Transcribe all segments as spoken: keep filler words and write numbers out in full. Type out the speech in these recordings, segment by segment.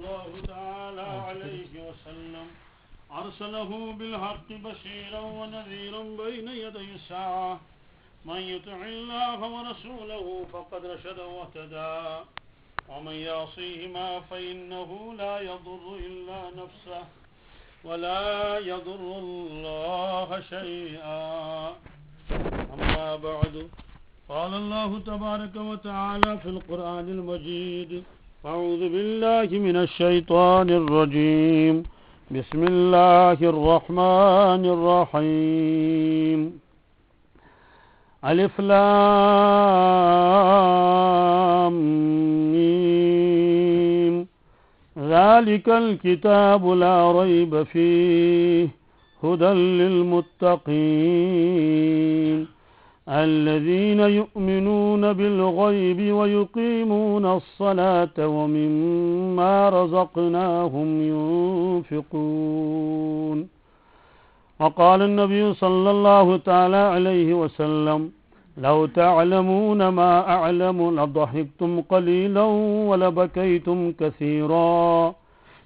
الله تعالى عليه وسلم أرسله بالحق بشيرا ونذيرا بين يدي الساعة. من يطع الله ورسوله فقد رشد واهتدى، ومن يعصيهما فإنه لا يضر إلا نفسه ولا يضر الله شيئا. أما بعد، قال الله تبارك وتعالى في القرآن المجيد: أعوذ بالله من الشيطان الرجيم. بسم الله الرحمن الرحيم. ألف لام ميم. ذلك الكتاب لا ريب فيه، هدى للمتقين، الذين يؤمنون بالغيب ويقيمون الصلاة ومما رزقناهم ينفقون. وقال النبي صلى الله تعالى عليه وسلم: لو تعلمون ما أعلم لضحكتم قليلا ولبكيتم كثيرا.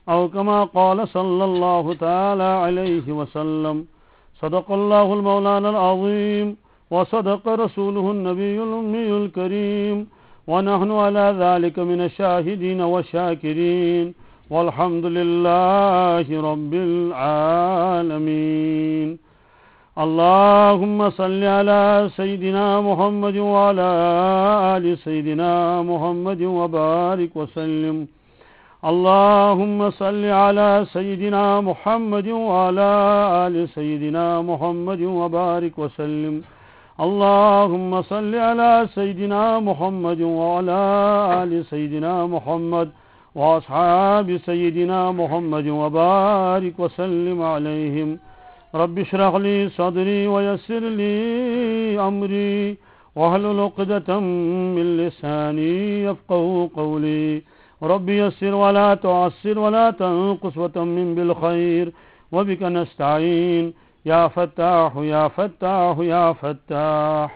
أو كما قال صلى الله تعالى عليه وسلم. صدق الله المولانا العظيم، وصدق رسوله النبي الأمي الكريم، ونحن على ذلك من الشاهدين والشاكرين، والحمد لله رب العالمين. اللهم صل على سيدنا محمد وعلى آل سيدنا محمد وبارك وسلم. اللهم صل على سيدنا محمد وعلى آل سيدنا محمد وبارك وسلم. اللهم صل على سيدنا محمد وعلى آل سيدنا محمد وأصحاب سيدنا محمد وبارك وسلم عليهم. رب اشرح لي صدري ويسر لي أمري واحلل عقدة من لساني يفقهوا قولي. رب يسر ولا تعسر ولا تنقص وتمم بالخير وبك نستعين. يا فتاح يا فتاح يا فتاح.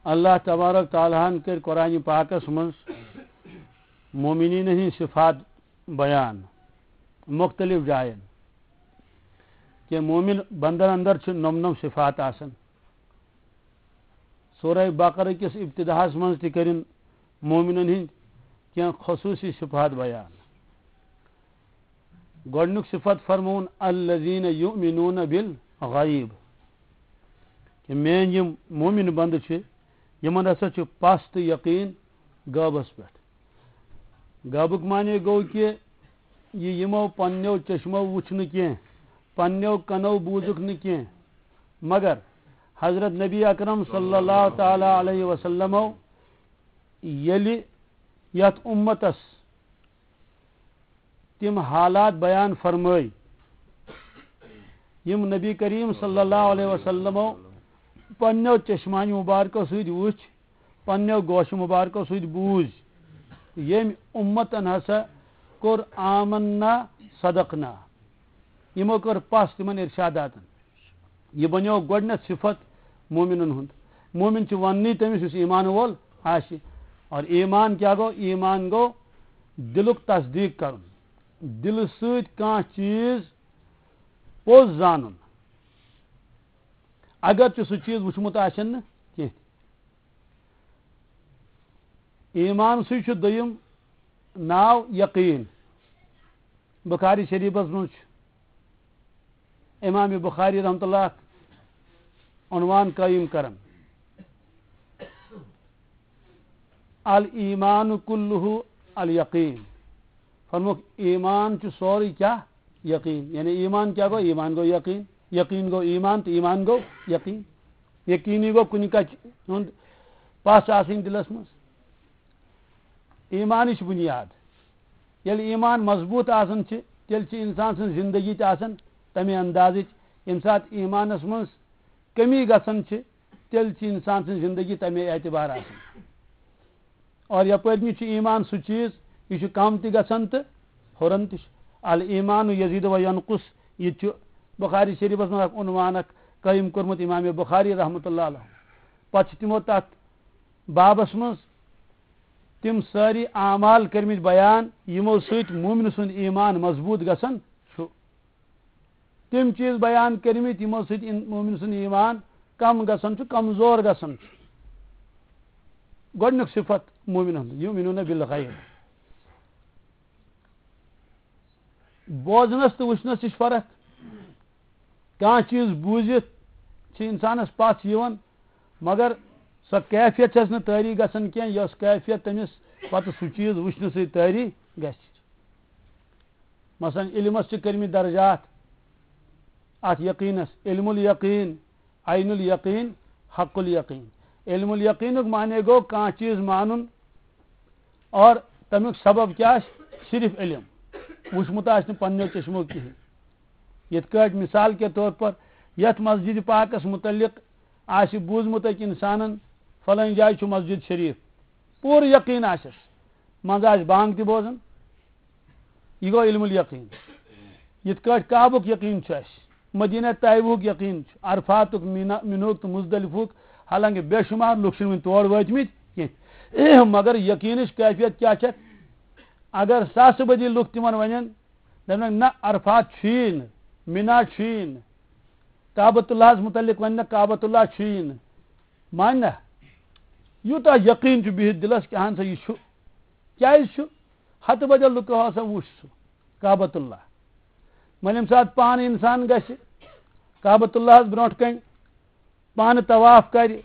اللہ تبارک تعالیٰ ہن کٔرۍ قرآن پاکس منٛز مومنین ہٕنٛدۍ صفات بیان مختلف جاین، کہ مومن بندن اندر چھِ نۄم نۄم صفات آسان۔ سورہ بقرہ کِس ابتداہس منٛز تہِ کٔرِن مومنن ہٕنٛدۍ کینٛہہ خصوٗصی صفات بیان۔ گۄڈٕنیُک صفت فرمووُن، الذین یؤمنون بالغیب، کہ میٲنۍ یِم مومن بندٕ چھِ، یِمن ہسا چھُ پَس تہٕ یقیٖن غٲبس پٮ۪ٹھ۔ غٲبُک معنی گوٚو کہ یہِ یِمو پننیو چشمو وُچھ نہٕ کینٛہہ، پننیو کنو بوٗزُکھ نہٕ کینٛہہ، مگر حضرت نبی اکرم صلی اللہ تعالیٰ علیہ وسلمو ییٚلہِ یتھ امتس تِم حالات بیان فرمٲے، یِم نبی کریم صلی اللہ علیہ وسلمو پننیو چشمانہِ مبارکو سۭتۍ وُچھ، پننیو گوشہِ مبارکو سۭتۍ بوٗزۍ، ییٚمۍ امتن ہسا کوٚر آمنا صدقنا، یِمو کٔر پَس تِمن ارشاداتن۔ یہِ بنیو گۄڈٕنیتھ صفت مومنن ہُنٛد۔ مومن چھُ وننٕے تٔمِس یُس ایمان وول آسہِ۔ اور ایمان کیٛاہ گوٚو؟ ایمان گوٚو دِلُک تصدیٖق کرُن، دِلہٕ سۭتۍ کانٛہہ چیٖز پوٚز زانُن، اگرچہِ سُہ چیٖز وُچھمُت آسن نہٕ کینٛہہ۔ ایمان سٕے چھُ دوٚیِم ناو یقیٖن۔ بخاری شریفس منٛز چھُ امام بخاری رحمتہ اللہ اکھ عنوان قٲیِم کران، الایمان کلہ الیقین۔ فرموکھ، ایمان چھُ سورُے کیٛاہ؟ یقیٖن۔ یعنی ایمان کیٛاہ گوٚو؟ ایمان گوٚو یقیٖن۔ یقیٖن گوٚو ایمان تہٕ ایمان گوٚو یقیٖن۔ یقیٖنی گوٚو کُنہِ کتھِ ہُنٛد پژھ آسٕنۍ دِلس منٛز۔ ایمانٕچ بُنیاد۔ ییٚلہِ ایمان مضبوٗط آسان چھِ، تیٚلہِ چھِ اِنسان سٕنٛز زِندگی تہِ آسان تَمے اندازٕچ۔ ییٚمہِ ساتہٕ ایمانَس منٛز کٔمی گژھان چھِ، تیٚلہِ چھِ اِنسان سٕنٛز زِندگی تَمے اعتبار آسان۔ اور یَپٲرۍ کِنۍ چھُ ایمان سُہ چیٖز، یہِ چھُ کَم تہِ گژھان تہٕ ہُران تہِ چھُ۔ اَلایٖمانُ یزیٖدُ و ینقص، یہِ تہِ چھُ بُخاری شریٖفَس منٛز اَکھ عنوان اَکھ قٲیِم کوٚرمُت اِمام بُخاری رحمتہ اللہ علیہ۔ پَتہٕ چھِ تِمو تَتھ بابَس منٛز تِم سٲری اعمال کٔرمٕتۍ بیان، یِمو سۭتۍ مومن سُنٛد ایمان مضبوٗط گژھان چھُ۔ تِم چیٖز بیان کٔرمٕتۍ، یِمو سۭتۍ اِن-، مومن سُنٛد ایمان کم گژھان چھُ، کمزور گژھان چھُ۔ گۄڈٕنیُک صفت مومن ہُنٛد، یؤمنون بالغیب۔ بوزنس تہٕ وٕچھنس تہِ چھِ فرق۔ کانٛہہ چیٖز بوٗزِتھ چھِ انسانس پژھ یِوان، مگر سۄ کیفیت چھس نہٕ طٲری گژھان کینٛہہ، یۄس کیفیت تٔمِس پتہٕ سُہ چیٖز وٕچھنہٕ سۭتۍ طٲری گژھِ۔ مثلاً علمس چھِ کٔرمٕتۍ درجات، اتھ یقینس، علم الیقین، عین الیقین، حق الیقین۔ علم الیقینُک معنی گوٚو کانٛہہ چیٖز مانُن اور تمیُک سبب کیٛاہ آسہِ؟ صرف علم، وٕچھمُت آسہِ نہٕ پننیو چشمو کِہیٖنۍ۔ یِتھ کٲٹھۍ مثال کے طور پر یتھ مسجد پاکس متعلق آسہِ بوٗزمُت أکۍ انسانن، فلٲنۍ جایہِ چھُ مسجد شریف، پوٗرٕ یقین آسٮ۪س، منٛزٕ آسہِ بانگ تہِ بوزان، یہِ گوٚو علم الیقین۔ یِتھ کٲٹھۍ کعبُک یقین چھُ اَسہِ، مدینہ طیبہُک یقین چھُ، عرفاتُک، مینا، مِنہُک تہٕ مزدلفہُک، حالانکہ بے شمار لُکھ چھِنہٕ وُنہِ تور وٲتمٕتۍ کینٛہہ۔ مگر یقینٕچ کیفیت کیٛاہ چھےٚ؟ اگر ساسہٕ بٔدی لُکھ تِمن ونن، دپنکھ، نہ، عرفات چھُیی نہٕ، مینا چھُیی نہٕ، کعبۃ اللہس متعلق وننہٕ، کعبۃ اللہ چھُیی نہٕ، مانہِ نہ؟ یوٗتاہ یقین چھُ بِہِتھ دِلس کہ اہن سا یہِ چھُ۔ کیٛازِ چھُ؟ ہتہٕ بدل لُکو ہسا وُچھ سُہ کعبۃ اللہ۔ وۄنۍ ییٚمہِ ساتہٕ پانہٕ انسان گژھِ کعبۃ اللہس برونٛٹھ کنہِ، پانہٕ طواف کرِ،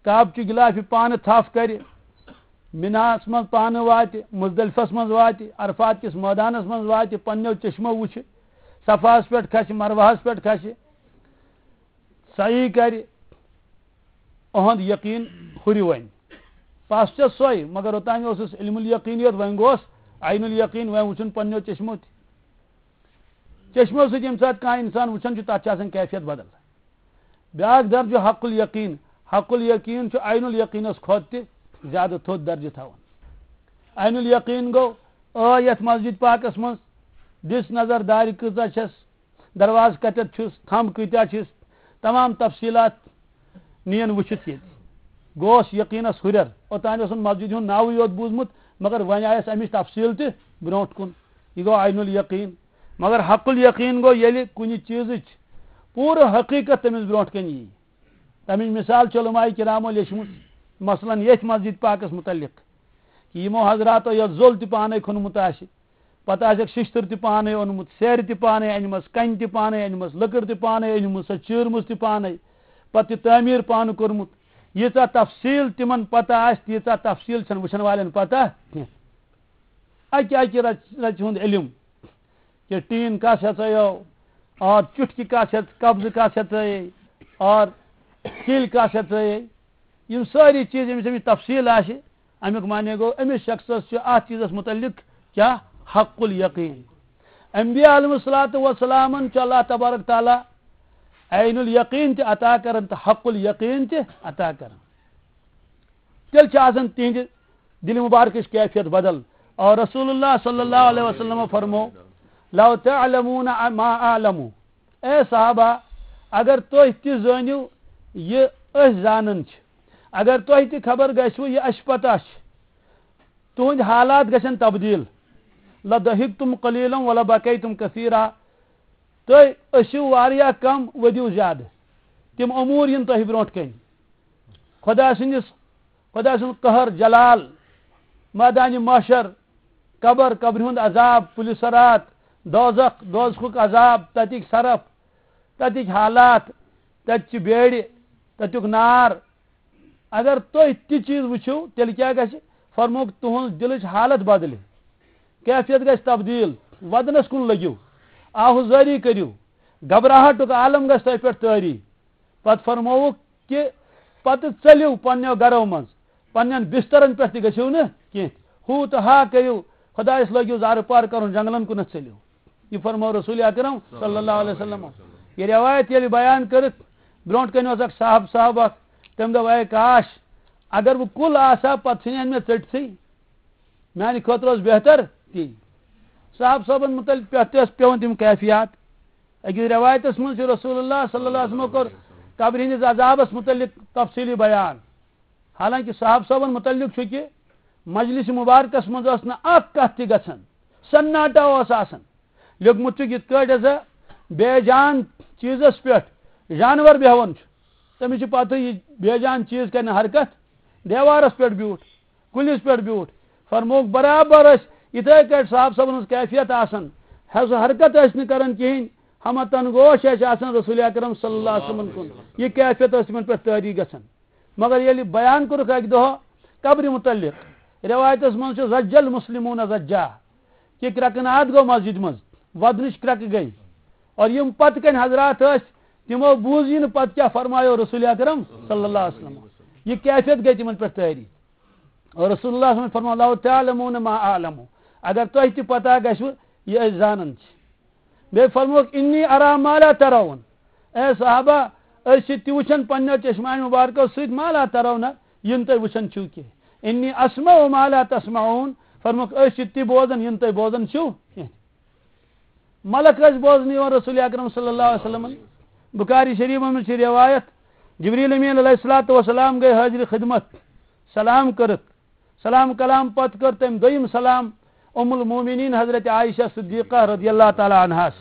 کعبہٕ چہِ غلافہِ پانہٕ تھپھ کرِ، مِناہس منٛز پانہٕ واتہِ، مزدلفس منٛز واتہِ، عرفات کِس مٲدانس منٛز واتہِ، پننیو چشمو وُچھِ، صفاہس پٮ۪ٹھ کھسہِ، مروہس پٮ۪ٹھ کھسہِ، سعی کرِ، اُہُنٛد یقین ہُرِ وۄنۍ۔ پس چھےٚ سۄے، مگر اوٚتام اوسُس علم الیقین یوت، وۄنۍ گوس عین الیقین، وۄنۍ وُچھُن پننیو چشمو تہِ۔ چشمو سۭتۍ ییٚمہِ ساتہٕ کانٛہہ انسان وُچھان چھُ، تتھ چھِ آسان کیفیت بدل۔ بیاکھ درجہٕ حق الیقین۔ حق الیقین چھُ عین الیقینس کھۄتہٕ تہِ زیادٕ تھوٚد درجہٕ تھاوان۔ عین الیقین گوٚو، آے یتھ مسجد پاکس منٛز، دِژ نظر دارِ کۭژاہ چھس، دروازٕ کتٮ۪تھ چھُس، تھمب کۭتیاہ چھِس، تمام تفصیلات نِین وٕچھِتھ ییٚتہِ۔ گوس یقینس ہُرٮ۪ر۔ اوٚتام اوسُن مسجد ہُنٛد ناوٕے یوت بوٗزمُت، مگر وۄنۍ آیس امِچ تفصیل تہِ برونٛٹھ کُن۔ یہِ گوٚو عین الیقین۔ مگر حق الیقین گوٚو ییٚلہِ کُنہِ چیٖزٕچ پوٗرٕ حقیقت تٔمِس برونٛٹھ کنہِ یی۔ تمِچ مثال چھِ علماء کرامو لیچھمٕژ، مثلاً ییٚتھۍ مسجد پاکس متعلق، کہ یِمو حضراتو یتھ زوٚل تہِ پانے کھوٚنمُت آسہِ، پتہٕ آسٮ۪کھ ششتٕر تہِ پانے اوٚنمُت، سیرِ تہِ پانے انِمژ، کنہِ تہِ پانے انِمژ، لٔکٕر تہِ پانے أنمٕژ، سۄ چیٖرمٕژ تہِ پانے، پتہٕ تہِ تعمیٖر پانہٕ کوٚرمُت۔ ییٖژاہ تفصیٖل تِمن پتہ آسہِ، تیٖژاہ تفصیٖل چھنہٕ وٕچھن والٮ۪ن پتہ کینٛہہ۔ اکہِ اکہِ رژ، رژِ ہُنٛد علم، کہ ٹیٖن کس ہیژے او، اور چُٹھکہِ کس ہیژ، قبضہٕ کس ہیژے، اور کِلۍ کس ہیژے۔ یِم سٲری چیٖز ییٚمِس أمِس تفصیٖل آسہِ، اَمیُک معنی گوٚو، أمِس شخصس چھُ اَتھ چیٖزس مُتعلِق کیٛاہ؟ حق الیقین۔ انبیاء علیہ الصلوۃ والسلامن چھُ اللہ تبارک تعالیٰ عین الیقین تہِ عطا کران تہٕ حق الیقین تہِ عطا کران۔ تیٚلہِ چھِ آسان تِہنٛدِ دِلہِ مُبارکٕچ کیفیت بدل۔ اور رسول اللہ صلی اللہ علیہ وسلم فرمو، "لو تعلمون ما اعلم"، اے صحابہ، اگر تُہۍ تہِ زٲنِو یہِ أسۍ زانان چھِ، اگر تۄہہِ تہِ خبر گژھِوٕ یہِ اَسہِ پتہ چھِ، تُہٕنٛدۍ حالات گژھن تبدیٖل۔ لضحکتم قلیلا ولبکیتم کثیرا۔ تُہۍ ٲسِو واریاہ کم، ؤدِو زیادٕ۔ تِم امور یِن تۄہہِ برونٛٹھ کنہِ۔ خدا سٕنٛدِس، خدا سُنٛد قہر، جلال، مٲدانِ محشر، قبر، قبرِ ہُنٛد عذاب، پُلہِ صراط، دوزخ، دوزخُک عذاب، تتِکۍ صرف، تتِکۍ حالات، تتہِ چہِ بیڑِ، تتیُک نار۔ اگر تُہۍ تہِ چیٖز وٕچھِو، تیٚلہِ کیٛاہ گژھِ؟ فرمووُکھ، تُہٕنٛز دِلٕچ حالت بدلہِ، کیفیت گژھِ تبدیٖل، ودنس کُن لٔگِو، آہوزٲری کٔرِو، گھبراہٹُک عالم گژھِ تۄہہِ پٮ۪ٹھ طٲری۔ پتہٕ فرمووُکھ کہ پتہٕ ژٔلِو پننیو گرو منٛز، پننٮ۪ن بسترن پٮ۪ٹھ تہِ گٔژھِو نہٕ کینٛہہ۔ ہُہ تہٕ ہا کٔرِو، خدایس لٲگِو زارٕ پار کرُن، جنگلن کُنتھ ژٔلِو۔ یہِ فرموو رسول اکرم صلی اللہ علیہ وسلم۔ یہِ روایت ییٚلہِ بیان کٔرٕکھ، برونٛٹھ کنہِ اوس اکھ صاحب صاحب اکھ، تٔمۍ دوٚپ، "اے کاش، اگر بہٕ کُل آسہٕ ہا، پتہٕ ژھٕنہِ ہن مےٚ ژٔٹتھٕے، میانہِ خٲطرٕ اوس بہتر تی۔" صاحب صٲبن مُتعلِق پٮ۪ٹھ تہِ ٲس پٮ۪وان تِم کیفیات۔ أکِس رٮ۪وایتَس منٛز چھُ رسول اللہ صلی اللہ علیہ وسلمو کوٚر قبرِ ہٕنٛدِس عذابَس مُتعلِق تفصیٖلی بیان۔ حالانکہِ صحابہٕ صٲبَن مُتعلِق چھُ کہِ مجلس مبارکس منٛز ٲس نہٕ اکھ کتھ تہِ گژھان، سناٹا اوس آسان۔ لیوٚکھمُت چھُکھ یِتھ کٲٹھۍ ہسا بے جان چیٖزس پٮ۪ٹھ جانور بیٚہوان چھُ، تٔمِس چھِ پتہٕ یہِ بے جان چیٖز کرِ نہٕ حرکت، دیوارس پٮ۪ٹھ بیوٗٹھ، کُلِس پٮ۪ٹھ بیوٗٹھ۔ فرمووُکھ برابر ٲسۍ یِتھے کٲٹھۍ صاحب صٲبن ہٕنٛز کیفیت آسان، حظ حرکت ٲسۍ نہٕ کران کِہینۍ، ہمہ تنگوش ٲسۍ آسان رسول اکرم صلی اللہ علیہ وسلمن کُن۔ یہِ کیفیت ٲس تِمن پٮ۪ٹھ طٲری گژھان۔ مگر ییٚلہِ بیان کوٚرُکھ اَکہِ دۄہ قبرِ مُتعلِق، رٮ۪وایتَس منٛز چھُ زَجَّ المُسْلِمُونَ زَجَّا، کہِ کرٛٮ۪کہٕ ناد گوٚو مسجد منٛز، وَدنٕچ کرٛٮ۪کہٕ گٔے۔ اور یِم پَتہٕ کَنہِ حضرات ٲسۍ، تِمو بوٗز یہِ نہٕ پَتہٕ کیٛاہ فرمایو رسول اکرم صلی اللہ علیہ وسلم۔ یہِ کیفیت گٔے تِمَن پٮ۪ٹھ طٲری۔ اور رسول اللہ صلی اللہ علیہ وسلم فرموو، "لو تعلمون ما اعلم"، اگر تۄہہِ تہِ پتہ گژھِوٕ یہِ أسۍ زانان چھِ۔ بیٚیہِ فرمووُکھ، "انی ارا ما لا ترون"، اے صحابہ، أسۍ چھِ تہِ وٕچھان پننیو چشمانہِ مبارکو سۭتۍ ما لا ترون، یہِ نہٕ تُہۍ وٕچھان چھِو کینٛہہ۔ "انی اسمع ما لا تسمعون"، فرمووُکھ، أسۍ چھِ تہِ بوزان یہِ نہٕ تُہۍ بوزان چھِو کینٛہہ۔ ملک ٲسۍ بوزنہٕ یِوان رسول اکرم صلی اللہ علیہ وسلمن۔ بخاری شریفس منٛز چھِ روایت، جبریل امین علیہ الصلوۃ والسلام گٔے حاضر خدمت، سلام کٔرٕکھ۔ سلام کلام پتہٕ کٔر تٔمۍ دوٚیِم سلام ام المومنین حضرت عائشہ صدیقہ رضی اللہ تعالیٰ عنہاس۔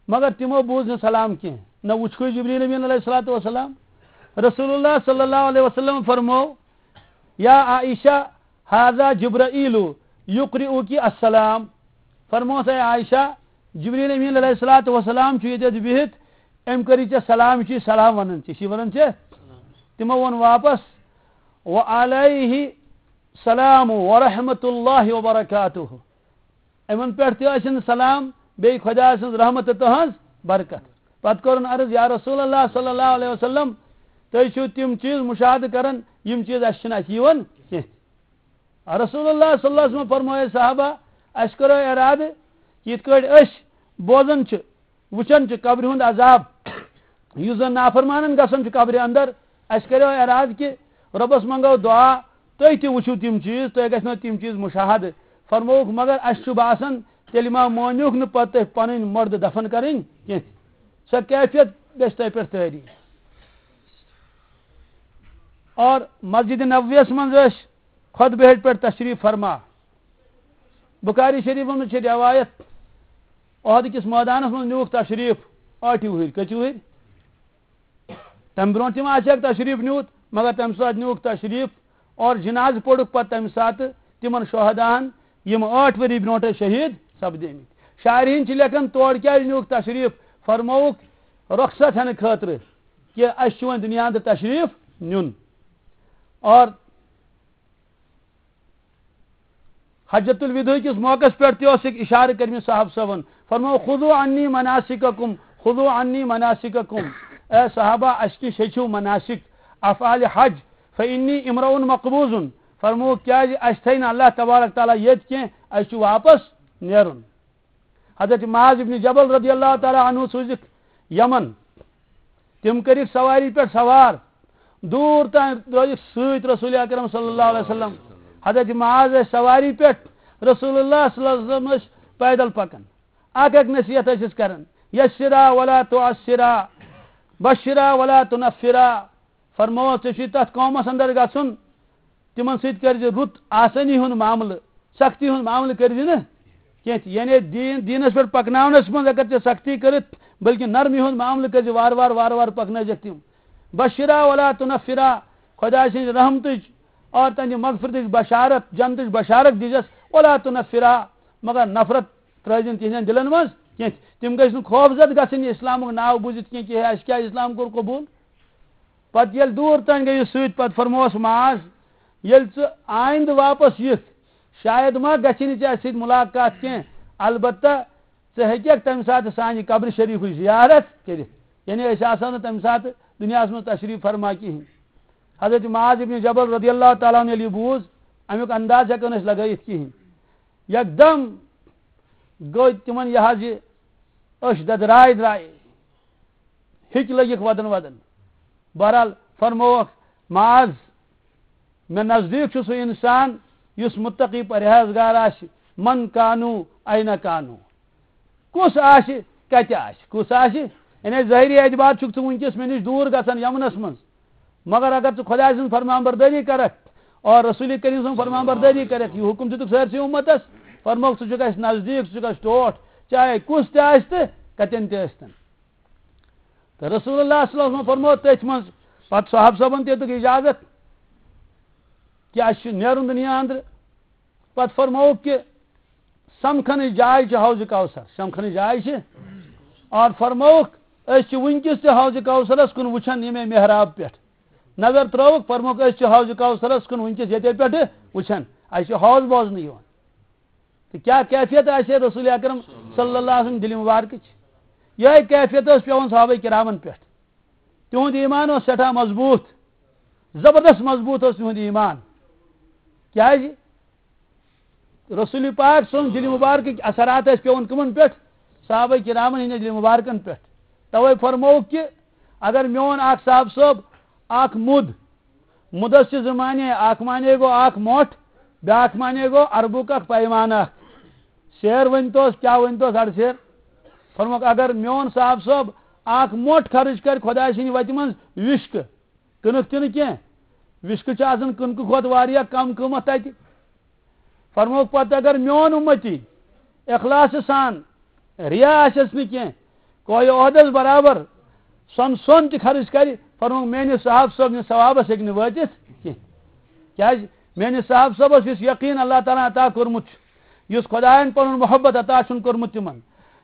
مگر تِمو بوٗز نہٕ سلام کینٛہہ، نہ وُچھکھٕے جبریل امین علیہ الصلوۃ والسلام۔ رسول اللہ صلی اللہ علیہ وسلم فرموو، "یا عائشہ، ھذا جبرائیل یقرئک السلام"۔ فرموس، "اے عائشہ، جبریل امین علیہ الصلوۃ والسلام چھُ ییٚتٮ۪تھ بِہِتھ، أمۍ کٔرِتھ ژےٚ سلام، یہِ چھُے سلام وَنان، ژےٚ چھُے وَنان ژےٚ۔" تِمو ووٚن واپس، "وعلیہ السلام ورحمۃ اللہ وبرکاتہ"۔ یِمن پٮ۪ٹھ تہِ ٲسِن سلام، بیٚیہِ خۄدا سٕنٛز رحمت تہٕ تٕہٕنٛز برکت۔ پتہٕ کوٚرُن عرض، "یا رسول اللہ صلی اللہ علیہ وسلم، تُہۍ چھِو تِم چیٖز مُشاہدٕ کران، یِم چیٖز اَسہِ چھِنہٕ اَتھِ یِوان کینٛہہ۔" رسول اللہ صلی اللہ علیہ وسلم فرمٲے، صحابہ، اَسہِ کَرو اِرادٕ، یِتھ کٲٹھۍ أسۍ بوزان چھِ، وٕچھان چھِ قبرِ ہُنٛد عذاب، یُس زَن نافرمانَن گژھان چھُ قبرِ اندر، اَسہِ کَریو اِرادٕ کہِ رۄبَس منٛگو دُعا، تُہۍ تہِ وٕچھِو تِم چیٖز، تۄہہِ گژھنو تِم چیٖز مُشاہدٕ۔ فرمووُکھ، مگر اَسہِ چھُ باسان، تیٚلہِ ما مٲنِوکھ نہٕ پَتہٕ تُہۍ پَنٕنۍ مُردٕ دفن کَرٕنۍ کینٛہہ۔ سۄ کیفیت گژھِ تۄہہِ پٮ۪ٹھ طٲری۔ اور مسجد نبویَس منٛز ٲسۍ خطبہٕ ہیٚٹہِ پٮ۪ٹھ تشریف فرما۔ بخاری شریفس منٛز چھِ روایت، احد کِس مٲدانس منٛز نیوٗکھ تشریف ٲٹھِ وُہٕرۍ۔ کٔژِ وُہٕرۍ؟ تَمہِ برونٛٹھ تہِ ما آسہِ ہاکھ تشریف نیوٗت، مگر تَمہِ ساتہٕ نیوٗکھ تشریف اور جنازٕ پوٚرُکھ پتہٕ تَمہِ ساتہٕ تِمن شہداہن، یِم ٲٹھ ؤری برونٛٹھے شہیٖد سپدیمٕتۍ۔ شارحیٖن چھِ لیکھان، تور کیازِ نیوٗکھ تشریف؟ فرمووُکھ رخصت ہٮ۪نہٕ خٲطرٕ، کہِ اَسہِ چھُ وۄنۍ دُنیا اندر تشریف نیُن۔ اور حجۃ الوداع کِس موقعس پٮ۪ٹھ تہِ اوس اکھ اشارٕ کٔرمٕژ صاحب صٲبن، فرموو، "خذوا عنی مناسککم، خذوا عنی مناسککم"۔ اے صحابہ، اَسہِ نِش ہیٚچھِو مناسک، افعال حج، فانی امرؤ مقبوض۔ فرموو، کیازِ اَسہِ تھٲے نہٕ اللہ تبارک تعالیٰ ییٚتہِ کینٛہہ، اَسہِ چھُ واپس نیرُن۔ حضرت معاذ ابن جبل رضی اللہ تعالیٰ عنہ سوٗزِکھ یمن۔ تِم کٔرِکھ سواری پٮ۪ٹھ سوار، دوٗر تام درٛٲیِکھ سۭتۍ رسول اکرم صلی اللہ علیہ وسلم۔ حضرت معاذ ٲسۍ سواری پٮ۪ٹھ، رسول اللہ صلی اللہ علیہ وسلم ٲسۍ پیدل پکان۔ اکھ اکھ نصیحت ٲسِس کران، "یسرا ولا تعسرا، بشرا ولا تنفرا"۔ فرمووس، ژےٚ چھُے تتھ قومس اندر گژھُن، تِمن سۭتۍ کٔرزِ رُت آسٲنی ہُنٛد معاملہٕ، سختی ہُنٛد معاملہٕ کٔرزِ نہٕ کینٛہہ تہِ۔ یعنی دیٖن، دیٖنس پٮ۪ٹھ پکناونس منٛز اگر ژےٚ سختی کٔرِتھ، بلکہِ نرمی ہُنٛد معاملہٕ کٔرزِ وارٕ وارٕ، وارٕ وارٕ پکنٲیزٮ۪کھ تِم۔ بشرا ولا تنفرا، خۄداے سٕنٛز رحمتٕچ اور تہنٛدِ مغفرتٕچ بشارت، جنتٕچ بشارت دیٖزٮ۪س، ولا تنفرا، مگر نفرت ترٲیزِ نہٕ تِہنٛدٮ۪ن دِلن منٛز کینٛہہ تہِ۔ تِم گژھِ نہٕ خوفزد گژھٕنۍ یہِ اسلامُک ناو بوٗزِتھ کینٛہہ کہِ ہے، اسہِ کیٛاہ اسلام کوٚر قبوٗل۔ پتہٕ ییٚلہِ دوٗر تام گٔیہِ سۭتۍ، پتہٕ فرمووس معاذ، ییٚلہِ ژٕ آیندٕ واپس یِکھ، شاید ما گژھِ نہٕ ژےٚ اَسہِ سۭتۍ مُلاقات کینٛہہ، البتہ ژٕ ہیٚککھ تَمہِ ساتہٕ سانہِ قبرِ شریٖفٕچ زیارت کٔرِتھ۔ یعنی أسۍ آسو نہٕ تَمہِ ساتہٕ دُنیاہَس منٛز تشریٖف فرما کِہیٖنۍ۔ حضرت معاذ ابن جبل رضی اللہ تعالیٰ عنہ ییٚلہِ یہِ بوٗز، اَمیُک انداز ہٮ۪کو نہٕ أسۍ لگٲیِتھ کِہیٖنۍ۔ یکدم گوٚو تِمن یہِ حظ یہِ أچھ ددراے درایے، ہِکۍ لٔگِکھ وَدَن وَدَن۔ بہرحال فرمووکھ، معاذ، مےٚ نزدیٖک چھُ سُہ اِنسان یُس مُتقی پرہیزگار آسہِ، من کانو، اَینہ کانو۔ کُس آسہِ، کَتہِ آسہِ، کُس آسہِ؟ یعنی ظٲہری اعتبار چھُکھ ژٕ وٕنکیٚس مےٚ نِش دوٗر گژھان یمنَس منٛز، مگر اگر ژٕ خۄداے سٕنٛز فرمانبردٲری کرکھ اور رسول کریم سٕنٛز فرمان بردٲری کٔرِتھ، یہِ حُکُم دِتُکھ سٲرسٕے اُمتس، فرمووُکھ، ژٕ چھُکھ اَسہِ نزدیٖک، ژٕ چھُکھ اَسہِ ٹوٹھ، چاہے کُس تہِ آسہِ تہٕ کَتٮ۪ن تہِ ٲسۍتن۔ تہٕ رسول اللہ صلی اللہ علیہ وسلم فرموو تٔتھۍ منٛز، پتہٕ صحابہٕ صٲبن تہِ دیُتُکھ اجازت کہِ اَسہِ چھُ نیرُن دُنیا اندرٕ۔ پتہٕ فرمووُکھ کہِ سمکھنٕچ جاے چھِ حوض کوثر، سمکھنٕچ جاے چھِ۔ اور فرمووُکھ، أسۍ چھِ وٕنکیٚس تہِ حوض کوثرس کُن وٕچھان ییٚمے محراب پٮ۪ٹھ۔ نظر ترٲوٕکھ، فرمووُکھ، أسۍ چھِ حوض کوثرس کُن وٕنکیٚس ییٚتے پٮ۪ٹھٕ وٕچھان، اَسہِ چھُ حوض بوزنہٕ یِوان۔ تہٕ کیٛاہ کیفیت آسہِ ہے رسول اکرم صلی اللہ علیہ وسلم دِلہِ مبارکٕچ؟ یِہے کیفیت ٲس پٮ۪وان صحابہ کرامن پٮ۪ٹھ۔ تِہُنٛد ایمان اوس سٮ۪ٹھاہ مضبوٗط، زبردست مضبوٗط اوس تِہُنٛد ایمان۔ کیٛازِ؟ رسول پاک سٕنٛز دِلہِ مبارکٕکۍ اثرات ٲسۍ پٮ۪وان کٕمن پٮ۪ٹھ؟ صحابہ کرامن ہٕنٛدِ دِلہِ مبارکن پٮ۪ٹھ۔ توے فرمووُکھ کہِ اگر میون اکھ صاحب صٲب اکھ مُد، مُدس چھِ زٕ معنی، اکھ معنی گوٚو اکھ مۄٹھ، بیٛاکھ معنی گوٚو عربُک اکھ پیمانہٕ اکھ۔ سیر ؤنۍتوس، کیٛاہ ؤنۍتوس اَڑٕ سیر؟ فرمووُکھ، اگر میون صاحب صٲب اکھ مۄٹھ خرٕچ کرِ خۄداے سٕنٛدِ وتہِ منٛز وِشکہٕ، کٕنٕک تہِ نہٕ کینٛہہ، وِشکہٕ چھِ آسان کٕنکہٕ کھۄتہٕ واریاہ کم قۭمتھ تتہِ۔ فرمووُکھ پتہٕ، اگر میون اُمتی اخلاص سان، ریا آسٮ۪س نہٕ کینٛہہ، کوہِ عہدس برابر سۄن سۄن تہِ خرٕچ کرِ، فرمووُکھ، میٲنِس صاحب صٲب نِس ثوابس ہیٚکہِ نہٕ وٲتِتھ کینٛہہ۔ کیٛازِ؟ میٲنِس صاحب صٲبس یُس یقین اللہ تعالیٰ ہن عطا کوٚرمُت چھُ، یُس خۄداین پنُن محبت عطا چھُن کوٚرمُت تِمن،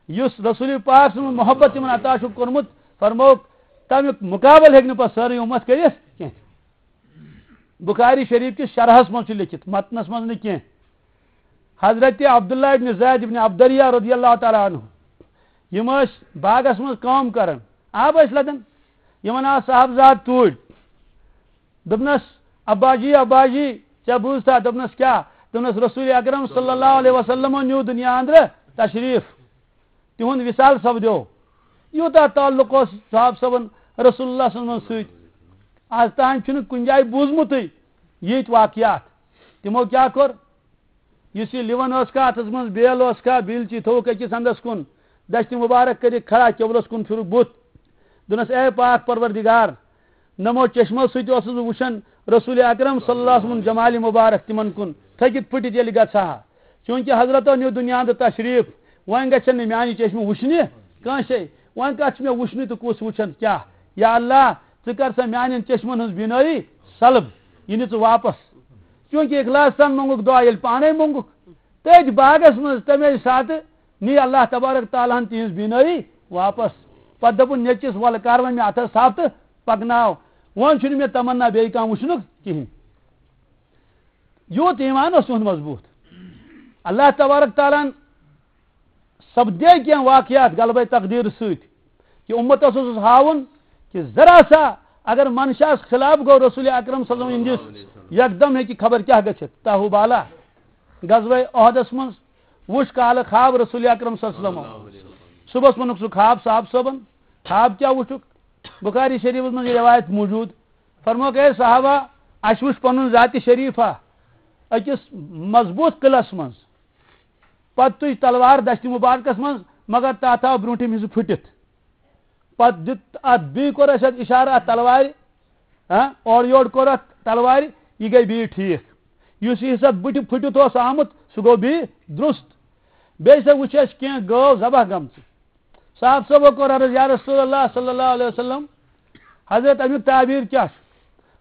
یُس رسول پاک سُنٛد محبت تِمن عطا چھُکھ کوٚرمُت، فرمووُکھ، تمیُک مقابلہٕ ہیٚکہِ نہٕ پتہٕ سٲرٕے اُمت کٔرِتھ کینٛہہ۔ بخاری شریف کِس شرحس منٛز چھُ لیٚکھِتھ، متنس منٛز نہٕ کینٛہہ۔ حضرت عبداللہ ابن زید ابن عبدریہ رضی اللہ تعالیٰ عنہ، یِم ٲسۍ باغس منٛز کٲم کران، آب ٲسۍ لدان، یِمن آو صاحبزاد توٗرۍ۔ دوٚپنس، "ابا جی، ابا جی، ژےٚ بوٗزتھا؟" دوٚپنس، "کیٛاہ؟" دوٚپنس، "رسول اکرم صلی اللہ علیہ وسلمن نیوٗ دُنیا اندرٕ تشریف، تِہُنٛد وصال سپدیو۔" یوٗتاہ تعلق اوس صاحب صٲبن رسول اللہ صلی اللہ علیہ وسلمن سۭتۍ۔ آز تام چھُنہٕ کُنہِ جایہِ بوٗزمُتٕے یِتھۍ واقعات۔ تِمو کیٛاہ کوٚر؟ یُس یہِ لِوَن ٲس کھا اَتھَس منٛز، بیل ٲس کھا، بیلچی تھوٚوُکھ أکِس اَنٛدَس کُن، دَشتہِ مُبارک کٔرِتھ کھڑا، قبلَس کُن پھِرُکھ بُتھ۔ دوٚپنَس، "اے پاک پروردگار، نَمو چشمو سۭتۍ اوسُس بہٕ وٕچھان رسول اکرم صلی اللہ علیہ وسلم جمالِ مُبارک تِمَن کُن تھٔکِتھ پھٕٹِتھ ییٚلہِ گژھٕ ہا۔ چوٗنٛکہِ حضرت نیوٗ دُنیا اندٕ تشریٖف، وۄنۍ گژھن نہٕ میٛانہِ چشمہٕ وٕچھنہِ کٲنٛسے۔ وۄنۍ کَتھ چھِ مےٚ وٕچھنہِ تہٕ کُس وٕچھن کیٛاہ؟ یا اللہ، ژٕ کر سا میٛانٮ۪ن چشمَن ہٕنٛز بینٲیی سلب، یہِ نہِ ژٕ واپس۔" چوٗنٛکہِ اخلاص سان موٚنٛگُکھ دُعا، ییٚلہِ پانَے موٚنٛگُکھ، تٔتھۍ باغس منٛز تَمے ساتہٕ نی اللہ تبارک تعالیٰ ہن تِہنٛز بینٲیی واپس۔ پتہٕ دوٚپُن نیٚچِس، "وَلہٕ کر وۄنۍ مےٚ اَتھس تھپھ تہٕ پکناو، وۄنۍ چھُنہٕ مےٚ تمنا بیٚیہِ کانٛہہ وٕچھنُک کِہینۍ۔" یوٗت ایمان اوس تِہُنٛد مضبوٗط۔ اللہ تبارک تعالیٰ ہن سپدے کینٛہہ واقعات غلبہ تقدیر سۭتۍ۔ کہِ اُمتس اوسُس ہاوُن کہِ ذرا سا اگر منشاہس خلاف گوٚو رسول اکرم صلی اللہ علیہ وسلم ہٕنٛدِس، یکدم ہیٚکہِ خبر کیٛاہ گٔژھِتھ۔ تاہو بالا غزوہ احدس منٛز وُچھ کالہٕ خواب رسول اکرم صلی اللہ علیہ وسلم۔ صبحس ووٚنُکھ سُہ خواب صاحب صٲبن، خواب کیٛاہ وُچھُکھ؟ بخاری شریفس منٛز یہِ روایت موجود۔ فرمووُکھ، "اے صحابہ، اَسہِ وُچھ پنُن ذاتِ شریفہ أکِس مضبوٗط قلعس منٛز، پتہٕ تُج تلوار دشتِ مبارکس منٛز، مگر تتھ آو برونٛٹھِم حصہٕ پھُٹِتھ۔" پتہٕ دیُت اتھ، بیٚیہِ کوٚر اَسہِ اتھ اشارٕ اتھ تلوارِ، ہاں، اورٕ یورٕ کوٚر اتھ تلوارِ، یہِ گٔے بیٚیہِ ٹھیٖک۔ یُس یہِ حصہٕ اتھ بٕتھِ پھُٹِتھ اوس آمُت، سُہ گوٚو بیٚیہِ درُست۔ بیٚیہِ سا وٕچھ اَسہِ کینٛہہ گٲو ذبح گٔمژٕ۔ صاحب صٲبو کوٚر عرض، "یا رسول اللہ صلی اللہ علیہ وسلم، حضرت امیُک تعبیر کیٛاہ چھُ؟"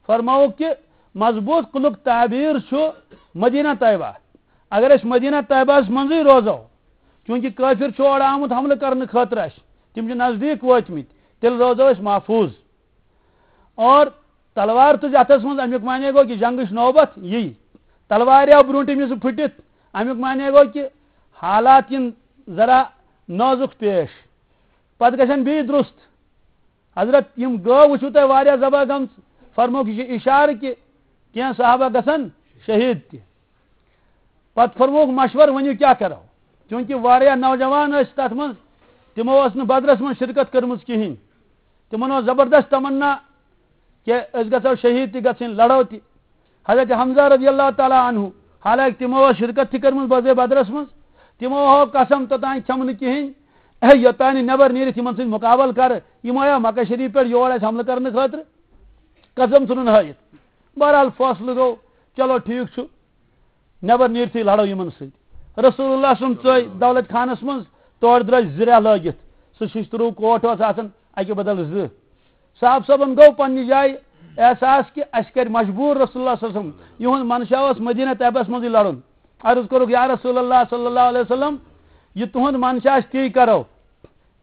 فرمووُکھ کہِ مضبوٗط قلُک تعبیر چھُ مدینہ طیبہ۔ اگر أسۍ مدینہ طیبہس منٛزٕے روزو، چوٗنٛکہِ کٲفِر چھُ اورٕ آمُت حملہٕ کرنہٕ خٲطرٕ اَسہِ، تِم چھِ نزدیٖک وٲتمٕتۍ، تیٚلہِ روزو أسۍ محفوٗظ۔ اور تلوار تُج اَتھس منٛز، اَمیُک معنی گوٚو کہِ جنگٕچ نوبت یی۔ تلوارِ آو برونٛٹھِم حصہٕ پھُٹِتھ، اَمیُک معنی گوٚو کہِ حالات یِن ذرا نازُک پیش۔ پتہٕ گژھن بیٚیہِ درُست۔ حضرت، یِم گٲو وٕچھِو تۄہہِ واریاہ ذبح گٔمژٕ، فرمووُکھ، یہِ چھُ اِشارٕ کہِ کینٛہہ صحابہ گژھن شہیٖد تہِ۔ پتہٕ فرمووُکھ مشورٕ، ؤنِو کیٛاہ کرو؟ چوٗنٛکہِ واریاہ نوجوان ٲسۍ تتھ منٛز، تِمو ٲس نہٕ بدرس منٛز شرکت کٔرمٕژ کِہینۍ۔ تِمن اوس زبردست تمنا کہِ أسۍ گژھو شہیٖد تہِ گژھٕنۍ، لڑو تہِ۔ حضرت حمزہ رضی اللہ تعالیٰ عنہ، حالانکہ تِمو ٲس شرکت تہِ کٔرمٕژ بغزوہ بدرس منٛز، تِمو ہٲو قسم توٚتام کھٮ۪مہٕ نہٕ کِہینۍ، اے، یوٚتام نہٕ نٮ۪بر نیٖرِتھ یِمن سۭتۍ مُقابلہٕ کرٕ، یِم آیا مکہ شریٖف پٮ۪ٹھ یور اَسہِ حملہٕ کرنہٕ خٲطرٕ؟ قسم ژھُنُن ہٲیِتھ۔ بہرحال فٲصلہٕ گوٚو، چلو ٹھیٖک چھُ، نٮ۪بر نیٖرتھٕے لڑو یِمن سۭتۍ۔ رسول اللہ صلی اللہ علیہ وسلم ژٲے دولت خانس منٛز، تورٕ درٛاے زٕ رٮ۪تھ لٲگِتھ۔ سُہ شِشتٕروٗ کوٹ اوس آسان اَکہِ بدل زٕ۔ صاحب صٲبن گوٚو پننہِ جایہِ احساس کہِ اَسہِ کرِ مجبوٗر رسول اللہ صلی اللہ علیہ وسلم۔ یِہُنٛد منشا اوس مدینہ طیبس منٛزٕے لڑُن۔ عرض کوٚرُکھ، یا رسول اللہ صلی اللہ علیہ وسلم، یہِ تُہُنٛد منشا آسہِ تی کرو،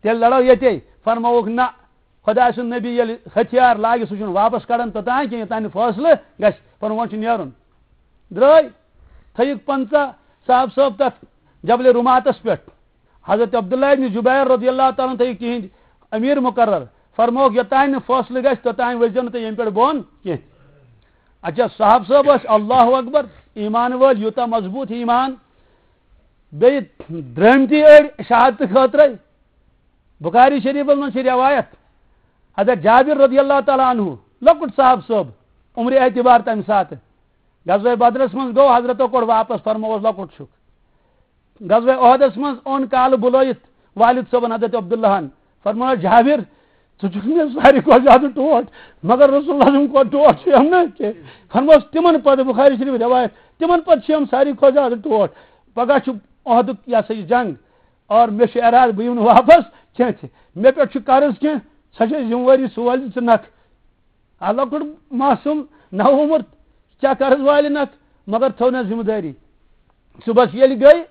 تیٚلہِ لڑو ییٚتے۔ فرمووُکھ، نہ، خۄداے سُنٛد نبی ییٚلہِ ہتھیار لاگہِ، سُہ چھُنہٕ واپس کڑان توٚتام کینٛہہ، یوٚتام نہٕ فٲصلہٕ گژھِ۔ فرمووُن، چھُ نیرُن۔ درٛاے، تھٲیِکھ پنٛژاہ صاحب صٲب تتھ جبل رُماتس پٮ۪ٹھ۔ حضرت عبداللہ ابن زبیر رضی اللہ تعالیٰ عنہ تھٲیِکھ تِہِنٛدۍ امیر مقرر۔ فرمووُکھ، یوٚتام نہٕ فٲصلہٕ گژھِ، توٚتام ؤسۍزیو نہٕ تُہۍ ییٚمہِ پٮ۪ٹھ بۄن کینٛہہ۔ اچھا، صاحب صٲب ٲسۍ اللہ اکبر، ایمان وٲلۍ، یوٗتاہ مضبوٗط ایمان۔ بیٚیہِ درٛٲمتی أڑۍ شہادتہٕ خٲطرَے۔ بخاری شریفس منٛز چھِ روایت، حضرت جابر رضی اللہ تعالیٰ عنہ، لۄکُٹ صاحب صٲب، عمرِ اعتبار تَمہِ ساتہٕ، غزوہ بدرس منٛز گوٚو، حضرتو کوٚڑ واپس، فرمووس، لۄکُٹ چھُکھ۔ غزوہ احدس منٛز اوٚن کالہٕ بُلٲیِتھ والد صٲبن حضرت عبداللہن، فرمووس، جابر، ژٕ چھُکھ مےٚ ساروی کھۄتہٕ زیادٕ ٹوٹھ، مگر رسول اللہ سُنٛد کھۄتہٕ ٹوٹھ چھُ یِم نہٕ کینٛہہ۔ فرمووس، تِمن پتہٕ، بخاری شریف روایت، تِمن پتہٕ چھِ یِم ساروی کھۄتہٕ زیادٕ ٹوٹھ۔ پگاہ چھُ احدُک، یہِ ہسا یہِ جنگ، اور مےٚ چھُ ارادٕ بہٕ یِمہٕ نہٕ واپس کینٛہہ تہِ۔ مےٚ پٮ۪ٹھ چھُ قرض کینٛہہ، سۄ چھےٚ ذمہٕ وٲری سُہ والہِ ژٕ نکھ۔ آ، لۄکُٹ معصوم نوعمر، کیٛاہ قرض والہِ نکھ، مگر تھٲو نہ ذمہٕ دٲری۔ صُبحس ییٚلہِ گٔے،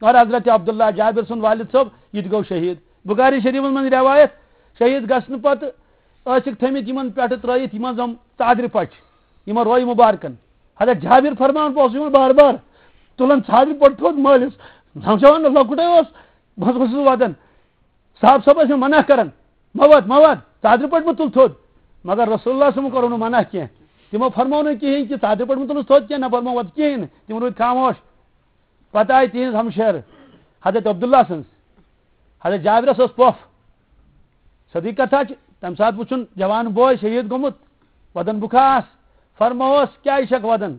اور حضرت عبداللہ جابر سُنٛد والد صٲب، یہِ تہِ گوٚو شہیٖد۔ بخاری شریفس منٛز روایت، شہیٖد گژھنہٕ پتہٕ ٲسِکھ تھٲمٕتۍ یِمن پٮ۪ٹھٕ ترٲیِتھ، یِمن زَن ژادرِ پچہِ، یِمن روے مبارکن۔ حضرت جابر فرمان، بہٕ اوسُس یِمن بار بار تُلان ژادرِ پٹھ تھوٚد مٲلِس، نوجوان لۄکُٹے اوس، بہٕ اوسُس ودان۔ صاحب صٲب ٲسۍ مےٚ منع کران، مہ وَد، مہ وَد، ژادرِ پٮ۪ٹھ مہ تُل تھوٚد۔ مگر رسول اللہ صٲبن کوٚرُن نہٕ منع کینٛہہ۔ تِمو فرموو نہٕ کِہیٖنۍ کہِ ژادرِ پٮ۪ٹھ مہ تُلُس تھوٚد کینٛہہ، نہ فرموو وَد کِہیٖنۍ نہٕ۔ تِم روٗدۍ خاموش۔ پتہٕ آیہِ تِہِنٛز ہمشیرٕ حضرت عبداللہ سٕنٛز۔ حضرت جابرس اوس پۄپھ۔ سیٚدٕے کتھا چھِ، تمہِ ساتہٕ وُچھُن جوان بوے شہیٖد گوٚمُت، وَدن بُکھاس، فرمووس، کیٛازِ چھکھ وَدان؟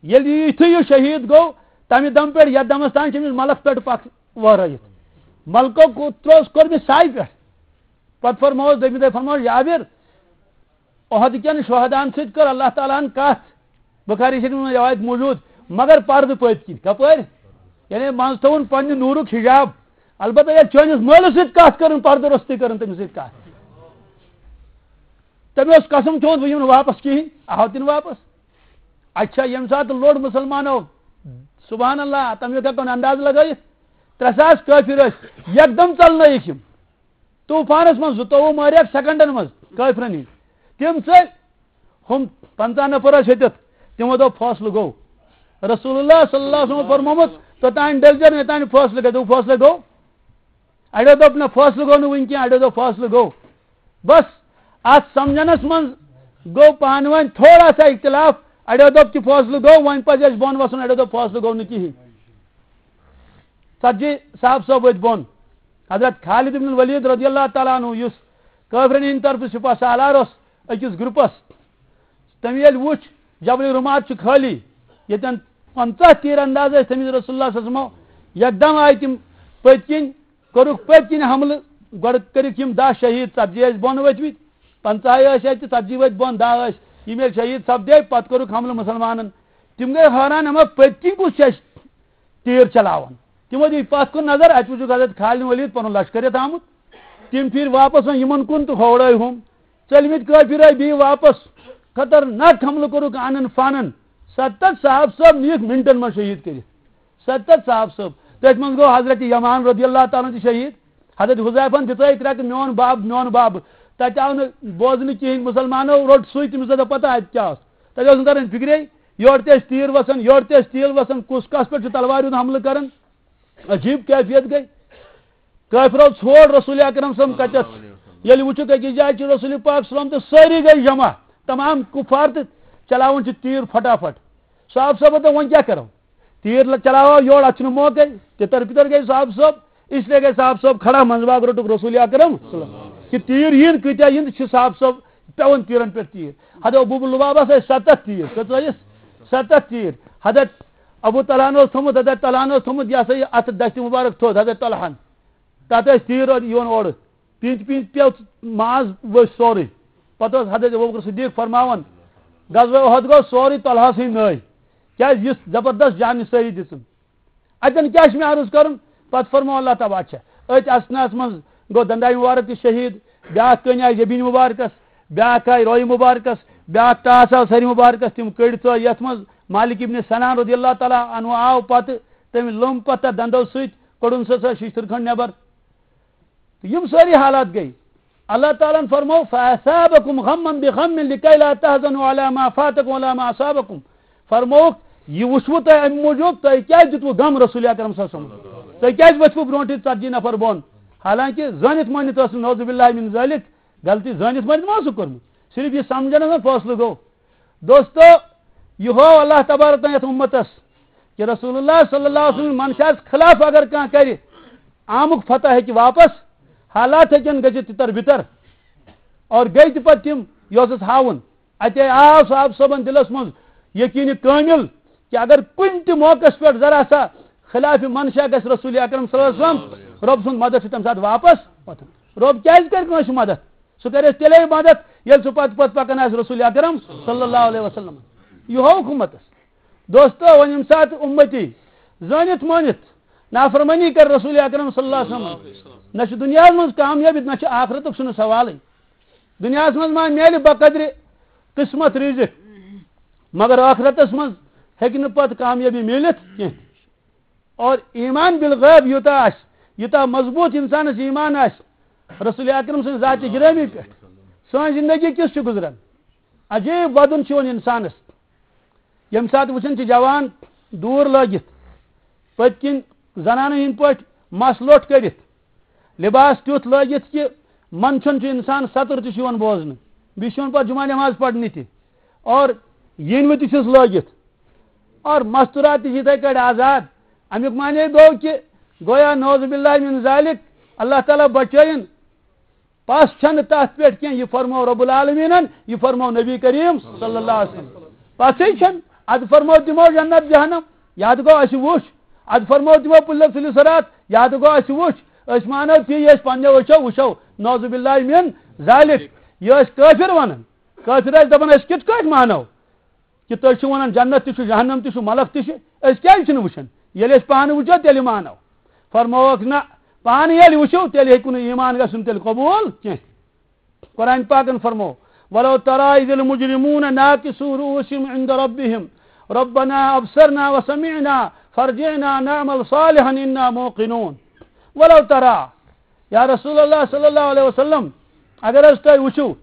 ییٚلہِ یہِ یُتھُے یہِ شہیٖد گوٚو، تَمہِ دم پٮ۪ٹھ یَتھ دمس تام چھِ أمِس ملک پٮ۪ٹھ پکھ وٲرٲیِتھ۔ ملکو کو-، ترووُس، کوٚر مےٚ سایہِ پٮ۪ٹھ۔ پتہٕ فرمووُس، دوٚیمہِ دۄہہِ فرمووُس، جابر، احد کٮ۪ن شہداہن سۭتۍ کٔر اللہ تعالیٰ ہن کتھ۔ بخاری شریف منٛز روایت موجود، مگر پردٕ پٔتۍ کِنۍ۔ کپٲرۍ؟ یعنی منٛز تھوٚوُن پننہِ نوٗرُک حجاب۔ البتہ ییٚلہِ چٲنِس مٲلِس سۭتۍ کتھ کٔرٕن، پردٕ روٚستُے کٔرٕن تٔمِس سۭتۍ کتھ۔ تٔمۍ اوس قسم کھیوٚمُت، بہٕ یِمہٕ نہٕ واپس کِہیٖنۍ۔ آو تہِ نہٕ واپس۔ اچھا، ییٚمہِ ساتہٕ لوٚڑ مُسلمانو، سبحان اللہ، تَمیُک ہٮ۪کو نہٕ انداز لگٲیِتھ۔ ترٛےٚ ساس کٲفِر ٲسۍ، یکدم ژلنٲیِکھ یِم۔ طوفانس منٛز زٕتووُہ مٲرِکھ سیکنڈن منٛز کٲفرن ہٕنٛدۍ۔ تِم ژٔلۍ، ہُم پنٛژاہ نفر ٲسۍ ہیٚتِتھ، تِمو دوٚپ، فٲصلہٕ گوٚو۔ رسول اللہ صلی اللہ علیہ وسلم فرمومُت، توٚتام ڈٔلۍ زٮ۪و نہٕ، یوٚتام نہٕ فٲصلہٕ گژھِ۔ دوٚپ، فٲصلہٕ گوٚو؟ اَڑیو دوٚپ، نہ، فٲصلہٕ گوٚو نہٕ وٕنہِ کینٛہہ، اَڑیو دوٚپ، فٲصلہٕ گوٚو۔ بس، اتھ سمجھنس منٛز گوٚو پانہٕ ؤنۍ تھوڑا سا اختلاف۔ اَڑیو دوٚپ کہِ فٲصلہٕ گوٚو، وۄنۍ پزِ اَسہِ بۄن وسُن، اَڑیو دوٚپ فٲصلہٕ گوٚو نہٕ کِہینۍ۔ ژتجی صاحب صٲب ؤتھۍ بۄن۔ حضرت خالد ابن الولید رضی اللہ تعالیٰ عنہ، یُس کٲفرن ہٕنٛدِ طرفہٕ سپاہ سالار اوس أکِس گروپس، تٔمۍ ییٚلہِ وُچھ جبل رمات چھُ خٲلی، ییٚتٮ۪ن پنٛژاہ تیر انداز ٲسۍ تھٲمٕتۍ رسول اللہ صلی اللہ علیہ وسلمو، یکدم آیہِ تِم پٔتۍ کِنۍ، کوٚرُکھ پٔتۍ کِنۍ حملہٕ، گۄڈٕ کٔرِکھ یِم دَہ شہیٖد، ژتجی ٲسۍ بۄن ؤتھمٕتۍ، پنٛژاہ ٲسۍ اَتہِ، ژتجی ؤتھۍ بۄن، دَہ ٲسۍ۔ یِم ییٚلہِ شہیٖد سپدے، پتہٕ کوٚرُکھ حملہٕ مُسلمانن۔ تِم گٔے حٲران، اما پٔتۍ کِنۍ کُس چھُ اَسہِ تیٖر چلاوان؟ تِمو دِتۍ پتھ کُن نظر، اَتہِ وُچھُکھ حضرت خالد ولید پنُن لشکر یَتھ آمُت۔ تِم پھِرۍ واپس وۄنۍ یِمن کُن تہٕ ہوڑٲے ہُم۔ ژٔلمٕتۍ کٲفِر آے بیٚیہِ واپس۔ خطرناک حملہٕ کوٚرُکھ آنن فانن۔ ستتھ صاحب صٲب نِیِکھ منٹن منٛز شہیٖد کٔرِتھ۔ ستتھ صاحب صٲب۔ تٔتھۍ منٛز گوٚو حضرت یمان رضی اللہ تعالیٰ عنہ تہِ شہیٖد۔ حضرت حذیفن دِژٲے ترٛکھ، میون بب، میون بب۔ تتہِ آو نہٕ بوزنہٕ کِہینۍ، مُسلمانو روٚٹ سُے، تٔمِس ٲس نہٕ پتہ اتہِ کیٛاہ اوس۔ تتہِ اوس نہٕ تران فکرے، یورٕ تہِ ٲسۍ تیٖر وسان، یورٕ تہِ ٲسۍ تیٖر وسان، کُس کس پٮ۪ٹھ چھُ تلوارِ ہُنٛد حملہٕ کران۔ عجیب کیفیت گٔے۔ کٲفرو ژھوڑ رسول اکرم صلی اللہ علیہ وسلم کتٮ۪تھ۔ ییٚلہِ وُچھُکھ أکِس جایہِ چھُ رسول پاک صلی اللہ علیہ وسلم تہٕ سٲری گٔے جمع، تمام کفار تہٕ چلاوان چھِ تیٖر پھٹافٹ۔ صاحب صٲب دوٚپ، وۄنۍ کیٛاہ کرو؟ تیٖر ل-، چلاوو یورٕ، اتھ چھُنہٕ موقعے۔ تِتر پِتر گٔے صاحب صٲب، اس لیے گٔے صاحب صٲب کھڑا، منٛزٕ باگ روٚٹُکھ رسول اکرم صلی اللہ علیہ وسلم۔ کہِ تیٖر یِن، کۭتیاہ یِن، تہٕ چھِ صاحب صٲب پٮ۪وان تیٖرن پٮ۪ٹھ تیٖر۔ حضرت ابو لبابس ٲسۍ ستتھ تیٖر، کٔژ ٲسِس؟ ستتھ تیٖر۔ حضرت ابو طلحہ اوس تھوٚمُت، حضرت طلحہ اوس تھوٚمُت، یہِ ہسا یہِ اتھٕ دستہِ مبارک تھوٚد حضرت طلحہن۔ تتھ ٲسۍ تیٖر اورٕ یِوان اورٕ۔ پِنتۍ پِنتۍ پیوٚو ماز ؤسۍ سورُے۔ پتہٕ اوس حضرت ابوبکر صدیق فرماوان، غزوہ احد گوٚو سورُے طلحہ سٕے نٲے۔ کیٛازِ یُس زبردست جان نثٲری دِژٕن۔ اَتٮ۪ن کیٛاہ چھُ مےٚ عرض کَرُن؟ پَتہٕ فرموو اللہ تعالیٰ، اچھا، أتھۍ اثناہَس منٛز گوٚو دَنٛداے مُبارک تہِ شہیٖد، بیٛاکھ کٔنۍ آیہِ جبیٖن مُبارکَس، بیٛاکھ آیہِ رویہِ مُبارکَس، بیٛاکھ ٹاس آو سَرِ مُبارکَس، تِم کٔڑۍ ژٕ یَتھ منٛز۔ مالک ابن سنان رضی اللہ تعالیٰ عنہ آو پَتہٕ، تٔمۍ لوٚم پَتہٕ تَتھ دَنٛدو سۭتۍ، کوٚڑُن سُہ سۄ شیشتٕر کھنٛڈ نٮ۪بر۔ تہٕ یِم سٲری حالات گٔے۔ اللہ تعالیٰ ہن فرموو، "فَأَثَابَكُمْ غَمًّا بِغَمٍّ لِكَيْ لَا تَحْزَنُوا عَلَىٰ مَا فَاتَكُمْ وَلَا مَا أَصَابَكُمْ۔" فرمووُکھ، یہِ وٕچھوٕ تۄہہِ اَمہِ موٗجوٗب، تۄہہِ کیٛازِ دیُتوٕ غم رسول اکرم صلی اللہ علیہ وسلم؟ تۄہہِ کیٛازِ ؤتھوٕ برونٛٹھٕے ژتجی نفر بۄن؟ حالانکہ زٲنِتھ مٲنِتھ ٲس نہٕ، نعوذ باللہ من ذالک، غلطی زٲنِتھ مٲنِتھ ما اوسُکھ کوٚرمُت، صرف یہِ سمجھنس منٛز فٲصلہٕ گوٚو۔ دوستو، یہِ ہوو اللہ تبارک و تعالیٰ یتھ امتس کہ رسول اللہ صلی اللہ علیہ وسلم منشاہس خلاف اگر کانٛہہ کرِ، آمُک فتح ہیٚکہِ واپس، حالات ہیٚکن گٔژھِتھ تِتر بِتر۔ اور گٔے تہِ پتہٕ تِم، یہِ اوسُس ہاوُن۔ اتے آو صاحب صٲبن دِلس منٛز یقین کٲمِل کہ اگر کُنہِ تہِ موقعس پٮ۪ٹھ ذرا سا خلاف منشا گژھِ رسول اکرم صلی اللہ علیہ وسلم، رۄب سُنٛد مدد چھُ تمہِ ساتہٕ واپس واتان۔ رۄب کیٛازِ کرِ کٲنٛسہِ مدد؟ سُہ کرِ اَسہِ تیٚلے مدد ییٚلہِ سُہ پتہٕ پتہٕ پکان آسہِ رسول اکرم صلی اللہ علیہ وسلم۔ یہِ ہوو حکومتس۔ دوستو، وۄنۍ ییٚمہِ ساتہٕ اُمتی زٲنِتھ مٲنِتھ نافرمٲنی کر رسول اکرم صلی اللہ علیہ وسلم، نہ چھُ دُنیاہس منٛز کامیٲبی، نہ چھُ آخرتُک، چھُنہٕ سوالٕے۔ دُنیاہس منٛز ما میلہِ بقدرِ قسمت رزق، مگر آخرتس منٛز ہیٚکہِ نہٕ پتہٕ کامیٲبی میٖلِتھ کینٛہہ۔ اور ایمان بالغیب یوٗتاہ آسہِ، یوٗتاہ مضبوٗط انسانس ایمان آسہِ رسول اکرم سٕنٛزِ ذاتِ گرامی پٮ۪ٹھ، سٲنۍ زندگی کِژھ چھِ گُزران؟ عجیب ودُن چھُ یِوان انسانس۔ ییٚمہِ ساتہٕ وٕچھان چھِ جوان دوٗر لٲگِتھ، پٔتۍ کِنۍ زنانن ہٕنٛدۍ پٲٹھۍ مس لوٚٹھ کٔرِتھ، لباس تیُتھ لٲگِتھ کہ منٛدچھُن چھُ انسان، سطر تہِ چھُ یِوان بوزنہٕ، بیٚیہِ چھُ یِوان پتہٕ جمعہ نماز پرنہِ تہِ، اور ییٚنہِ وِزِ تہِ چھُس لٲگِتھ۔ اور مستورات تہِ چھِ یِتھے کٲٹھۍ آزاد۔ امیُک معنی گوٚو کہ گویا نعوذ باللہ من ذالک، اللہ تعالیٰ بچٲیِن۔ پس چھنہٕ تتھ پٮ۪ٹھ کینٛہہ، یہِ فرموو رب العالمینن، یہِ فرموو نبی کریم صلی اللہ علیہ وسلم۔ پسٕے چھنہٕ، ادٕ فرموو تِمو جنت جہنم، یہِ تہِ گوٚو اسہِ وُچھ۔ ادٕ فرموو تِمو پُلہِ صراط، یہِ تہِ گوٚو اسہِ وُچھ۔ أسۍ مانو تی، یہِ أسۍ پننیو أچھو وٕچھو، نعوذ باللہ من ذالک۔ یہِ ٲسۍ کٲفر ونان، کٲفر ٲسۍ دپان، أسۍ کِتھ کٲٹھۍ مانو؟ کہ تُہۍ چھِو ونان جنت تہِ چھُ، جہنم تہِ چھُ، ملک تہِ چھُ، أسۍ کیازِ چھِنہٕ وٕچھان؟ ییٚلہِ أسۍ پانہٕ وٕچھو، تیٚلہِ مانو۔ فرمووُکھ، نہ، پانہٕ ییٚلہِ وٕچھِو، تیٚلہِ ہیٚکِو نہٕ ایمان گژھُن تیٚلہِ قبول کینٛہہ۔ قرآن پاکن فرموو، "ولو ترى إذ المجرمون ناكسوا رؤوسهم عند ربهم ربنا أبصرنا وسمعنا فارجعنا نعمل صالحا إنا موقنون۔" ولو ترى، یا رسول اللہ صلی اللہ علیہ وسلم، اگر حظ تُہۍ وٕچھِو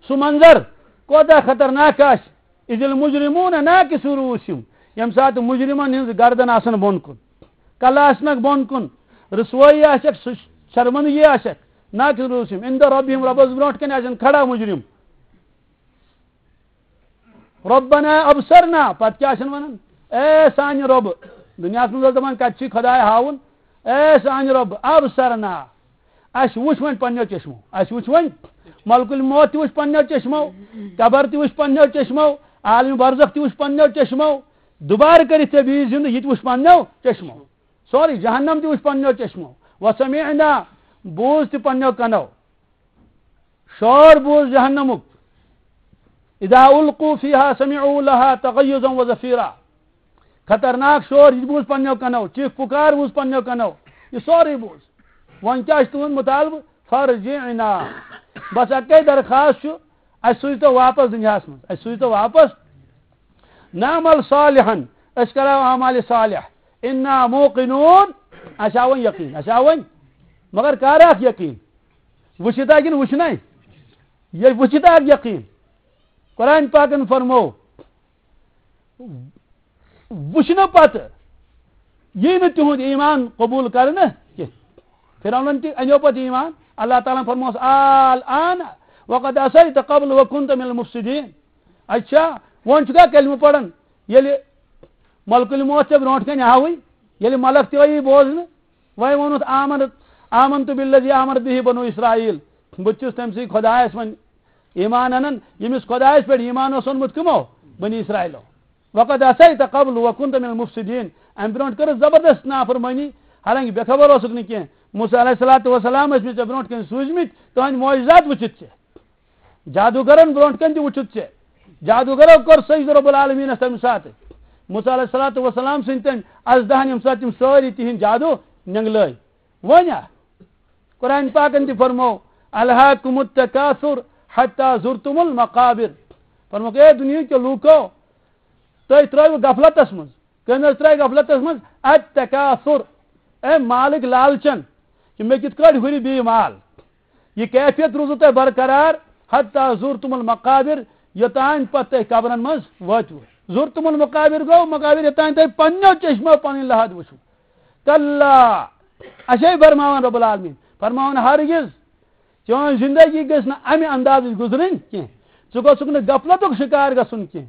سُہ منظر کوتاہ خطرناک آسہِ، اذ المجرمون ناکسو رؤوسہم، ییٚمہِ ساتہٕ مجرمن ہٕنٛز گردن آسن بۄن کُن، کلہٕ آسنکھ بۄن کُن، رسوٲیی آسٮ۪کھ، سُہ شرمندگی آسٮ۪کھ، ناکسو رؤوسہم، عند ربہم، ربس برونٛٹھ کنہِ آسن کھڑا مجرم۔ ربنا ابصرنا، پتہٕ کیٛاہ آسن ونان؟ اے سانہِ رۄبہٕ، دُنیاہس منٛز اوس دپان کتہِ چھُے خداے ہاوُن، اے سانہِ رۄبہٕ، ابصرنا، اسہِ وُچھ وۄنۍ پننیو چشمو، اسہِ وُچھ وۄنۍ ملک الموت تہِ وُچھ پننیو چشمو، قبر تہِ وُچھ پننیو چشمو، عالم برزخ تہِ وُچھ پننیو چشمو، دوبارٕ کٔرِتھ ژےٚ بیٚیہِ زندٕ یہِ تہِ وُچھ پننیو چشمو، سورُے جہنم تہِ وُچھ پننیو چشمو، وسمعنا، بوٗز تہِ پننیو کنو، شور بوٗز جہنمُک، اذا القوا فیہا سمعوا لہا تغیظا و زفیرا، خطرناک شور یہِ بوٗز پننیو کنو، چیخ پُکار بوٗز پننیو کنو، یہِ سورُے بوٗز۔ وۄنۍ کیٛاہ چھُ تُہُنٛد مُطالبہٕ؟ فرجعنا، بس اکے درخواست چھُ، اسہِ سوٗزتو واپس دُنیاہس منٛز، اسہِ سوٗزتو واپس، نعمل صالحا، أسۍ کرو اعمال صالح، انا موقنون، اسہِ آو وۄنۍ یقین، اسہِ آو وۄنۍ، مگر کر اکھ یقین؟ وٕچھِتھ ہا کِنہٕ وٕچھنَے؟ ییٚلہِ وٕچھِتھ آو یقین۔ قرآن پاکن فرموو، وٕچھنہٕ پتہٕ یی نہٕ تِہُنٛد ایمان قبول کرنہٕ کینٛہہ۔ فرعونن تہِ انیو پتہٕ ایمان۔ اللہ تعالیٰ ہن فرمووس، الآن وقد عصیت قبل وکنت من المفسدین۔ اچھا، وۄنۍ چھُکھا کلمہٕ پران؟ ییٚلہِ ملک الموت ژےٚ برونٛٹھ کنہِ آوٕے، ییٚلہِ ملک تہِ آیی بوزنہٕ، وۄنۍ ووٚنُتھ، آمنت، آمنت بالذی آمنت بہ بنو اسرائیل، بہٕ تہِ چھُس تٔمۍ سٕے خۄدایس وۄنۍ ایمان انان، ییٚمِس خۄدایس پٮ۪ٹھ ایمان اوس اوٚنمُت کٕمو؟ بنی اسرائیلو۔ وقد عصیت قبل وکنت من المفسدین، امہِ برونٛٹھ کٔرٕس زبردست نافرمٲنی، حالانکہ بے خبر اوسُکھ نہٕ کینٛہہ۔ موسیٰ علیہ الصلوۃ والسلام ٲسۍ مٕتۍ ژےٚ برونٛٹھ کنہِ سوٗزمٕتۍ، تُہنٛدۍ معجزات وٕچھِتھ ژےٚ۔ جادوگرن برونٛٹھ کنہِ تہِ وُچھُتھ ژےٚ۔ جادوگرو کوٚر سجدٕ رب العالمینس تمہِ ساتہٕ۔ موسیٰ علیہ الصلوۃ والسلام سٕنٛدۍ تٔمۍ اَزدہن، ییٚمہِ ساتہٕ تِم سٲری تِہِنٛدۍ جادو نٮ۪نٛگلٲے۔ وۄنۍ ہا، قرآن پاکن تہِ فرموو، "الہاکم التکاثر حتی زرتم المقابر۔" فرمووُکھ، "اے دُنیہٕکیو لوٗکو، تُہۍ ترٛٲوِو غفلتس منٛز۔" کٔمۍ حظ ترٛٲوۍ غفلتس منٛز؟ التکاثر، اے مالٕکۍ لالچن، کہِ مےٚ کِتھ کٲٹھۍ ہُرِ بیٚیہِ مال۔ یہِ کیفیت روٗزوٕ تۄہہِ برقرار، حتی زرتم المقابر، یوٚتام پتہٕ تُہۍ قبرن منٛز وٲتِو۔ زرتم المقابر گوٚو مقابر، یوٚتام تُہۍ پننیو چشمو پنٕنۍ لحد وٕچھِو۔ کلا، اَسے فرماوان رب العالمین، فرماوان ہرگز چٲنۍ زندگی گٔژھ نہٕ امہِ اندازٕچ گُزرٕنۍ کینٛہہ۔ ژٕ گوٚژھُکھ نہٕ غفلتُک شکار گژھُن کینٛہہ۔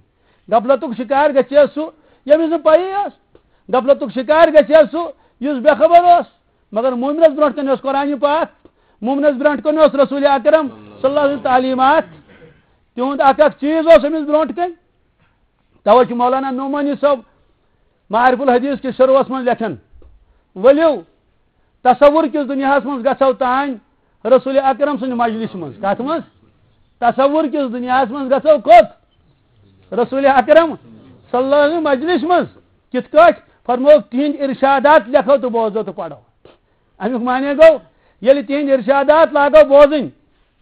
غفلتُک شکار گژھِ ہا سُہ، ییٚمِس نہٕ پَیی ٲس۔ غفلتُک شکار گژھِ ہا سُہ، یُس بے خبر اوس۔ مگر مومنس برونٛٹھ کنہِ اوس قرآن پاک، مومنس برونٛٹھ کنہِ اوس رسول اکرم صلی اللہ علیہ وسلم تعلیمات۔ تِہُنٛد اکھ اکھ چیٖز اوس أمِس برونٛٹھ کنہِ۔ توے چھُ مولانا نعمانی صٲب معارف الحدیث کِس شروعس منٛز لیکھان، ؤلِو، تصور کِس دُنیاہس منٛز گژھو تانۍ رسول اکرم سٕنٛدِ مجلس منٛز۔ کتھ منٛز؟ تصور کِس دُنیاہس منٛز گژھو کوٚت؟ رسول اکرم صلی اللہ علیہ وسلم مجلس منٛز۔ کِتھ کٲٹھۍ؟ فرمووُکھ، تِہنٛدۍ ارشادات لیکھو تہٕ بوزو تہٕ پرو۔ امیُک معنی گوٚو، ییٚلہِ تِہنٛدۍ ارشادات لاگو بوزٕنۍ،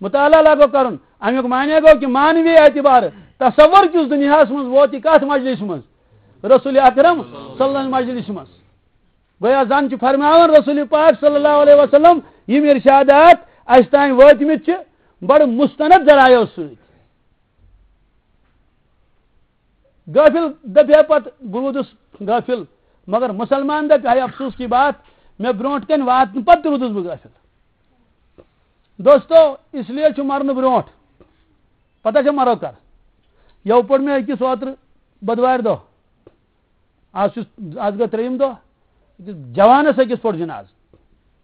مطالعہ لاگو کرُن، امیُک معنی گوٚو کہِ معنوی اعتبار تصور کِس دُنیاہس منٛز ووت یہِ کتھ مجلس منٛز؟ رسول اکرم صلی اللہ علیہ وسلم مجلس منٛز۔ گویا زن چھُ فرماوان رسول پاک صلی اللہ علیہ وسلم، یِم ارشادات اسہِ تام وٲتمٕتۍ چھِ بڑٕ مستند ذرایعو سۭتۍ۔ غٲفِل دپہِ ہا پتہٕ، بہٕ روٗدُس غٲفِل، مگر مسلمان دپہِ ہا، افسوس کی بات، مےٚ برونٛٹھ کنہِ واتنہٕ پتہٕ تہِ روٗدُس بہٕ غٲفِل۔ دوستو، اس لیے چھُ مرنہٕ برونٛٹھ، پتہ چھا مرو کر؟ یَوٕ پوٚر مےٚ أکِس اوترٕ بۄدوارِ دۄہ، آز چھُس، آز گٔے ترٛیٚیِم دۄہ، أکِس جوانَس أکِس پوٚر جنازٕ۔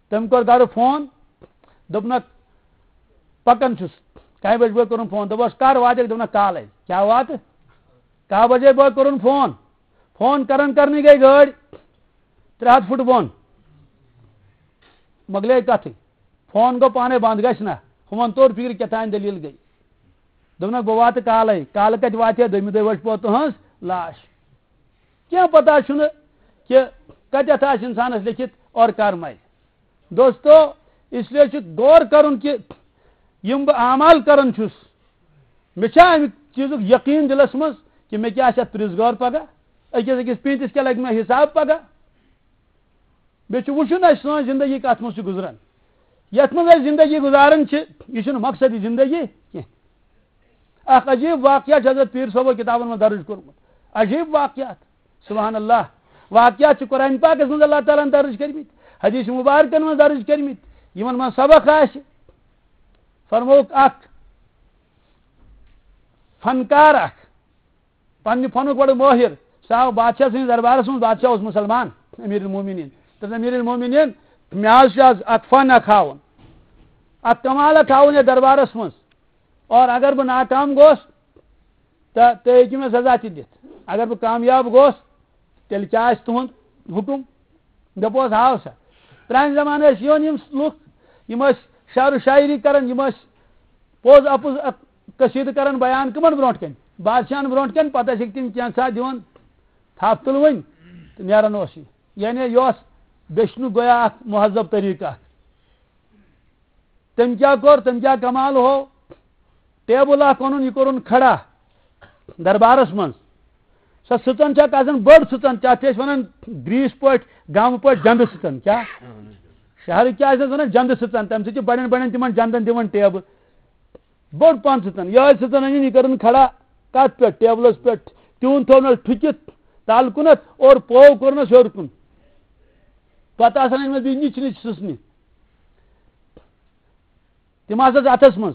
تٔمۍ کوٚر گرٕ فون، دوٚپنَکھ، "پَکان چھُس، کَہہِ بجہِ بٲگۍ کوٚرُن فون؟" دوٚپُس، "کر واتَکھ؟" دوٚپنَکھ، "کالَے۔" کیٛاہ واتہٕ؟ کَہہِ بجے بٲگۍ کوٚرُن فون، فون کران کرنٕے گٔے گٲڑۍ ترٛےٚ ہَتھ فُٹ بۄن۔ مۄکلے کَتھٕے۔ فون گوٚو پانے بنٛد، گژھِ نہ۔ ہُمن توٚر فِکرِ کیٛاہ تام دٔلیٖل گٔے۔ دوٚپنَکھ، "بہٕ واتہٕ کالے۔" کالہٕ کَتہِ واتہِ ہا؟ دوٚیمہِ دۄہہِ وٕچھ پوٚت تُہٕنٛز لاش۔ کینٛہہ پتہ چھُنہٕ کہِ کَتٮ۪تھ آسہِ اِنسانَس لیکھِتھ اور کر مرِ۔ دوستو، اس لیے چھُ غور کرُن کہِ یِم بہٕ اعمال کران چھُس، مےٚ چھا اَمہِ چیٖزُک یقیٖن دِلَس منٛز کہِ مےٚ کیٛاہ آسہِ اَتھ پرٛژھ غور پگاہ؟ أکِس أکِس پیٖنتِس کیٛاہ لگہِ مےٚ حساب پگاہ؟ بیٚیہِ چھُ وٕچھُن اَسہِ سٲنۍ زندگی کَتھ منٛز چھِ گُزران۔ یَتھ منٛز أسۍ زندگی گُزاران چھِ، یہِ چھُنہٕ مقصدی زندگی کینٛہہ۔ اَکھ عجیٖب واقعہ چھُ حضرت پیٖر صٲبو کِتابَن منٛز درٕج کوٚرمُت۔ عجیٖب واقعات۔ سبحان اللہ۔ واقعات چھِ قرآن پاکَس منٛز اللہ تعالیٰ ہَن درٕج کٔرمٕتۍ، حدیث مبارکَن منٛز درٕج کٔرمٕتۍ، یِمَن منٛز سبق آسہِ۔ فرمووُکھ، اَکھ فنکار اَکھ، پننہِ فنُک بڑٕ مٲہِر۔ سُہ آو بادشاہ سٕنٛدِس دربارس منٛز، بادشاہ اوس مُسلمان، امیر المومنین۔ دوٚپُن، "امیر المومنین، مےٚ حظ چھُ آز اکھ فن اکھ ہاوُن، اکھ کمال اکھ ہاوُن یتھ دربارس منٛز، اور اگر بہٕ ناکام گوس، تہٕ تُہۍ ہیٚکِو مےٚ سزا تہِ دِتھ۔ اگر بہٕ کامیاب گوس، تیٚلہِ کیٛاہ آسہِ تُہُنٛد حُکُم؟" دوٚپُس، "ہاو سا۔" پرٛانہِ زمانہٕ ٲسۍ یِوان یِم لُکھ، یِم ٲسۍ شعر و شاعری کران، یِم ٲسۍ پوٚز اَپُز اَتھ قصیٖدٕ کران بیان کٕمن برونٛٹھ کَنہِ؟ بادشاہن برونٛٹھ کَنہِ۔ پتہٕ ٲسِکھ تِم کینٛژھا دِوان تھپھ تُلوٕنۍ تہٕ نیران اوس یہِ۔ یعنی یہِ اوس بیچھنُک گویا اکھ مہذب طریٖقہٕ اکھ۔ تٔمۍ کیٛاہ کوٚر؟ تٔمۍ کیٛاہ کمال ہوو؟ ٹیبل اکھ اوٚنُن، یہِ کوٚرُن کھڑا دربارس منٛز۔ سۄ سٕژن چھےٚ آسان بٔڑ سٕژن، تتھ چھِ أسۍ ونان گریٖسۍ پٲٹھۍ، گامہٕ پٲٹھۍ جنٛدٕ سٕژن۔ کیٛاہ؟ شہرٕکۍ کیٛاہ ٲسۍ ونان؟ جنٛدٕ سٕژن۔ تَمہِ سۭتۍ چھِ بڑٮ۪ن بڑٮ۪ن تِمن جنٛدن دِوان ٹیبہٕ۔ بٔڑ پہن سٕژن۔ یِہوٚے سٕژن أنِن، یہِ کٔرٕن کھڑا کتھ پٮ۪ٹھ؟ ٹیبلس پٮ۪ٹھ۔ تیوٗن تھوونس ٹھُکِتھ تل کُنتھ اور پوو کوٚرنس ہیوٚر کُن۔ پتہٕ آسان أنۍمٕتۍ بیٚیہِ نِچہِ نِچہِ سٕژنہِ۔ تِم آسس اتھس منٛز۔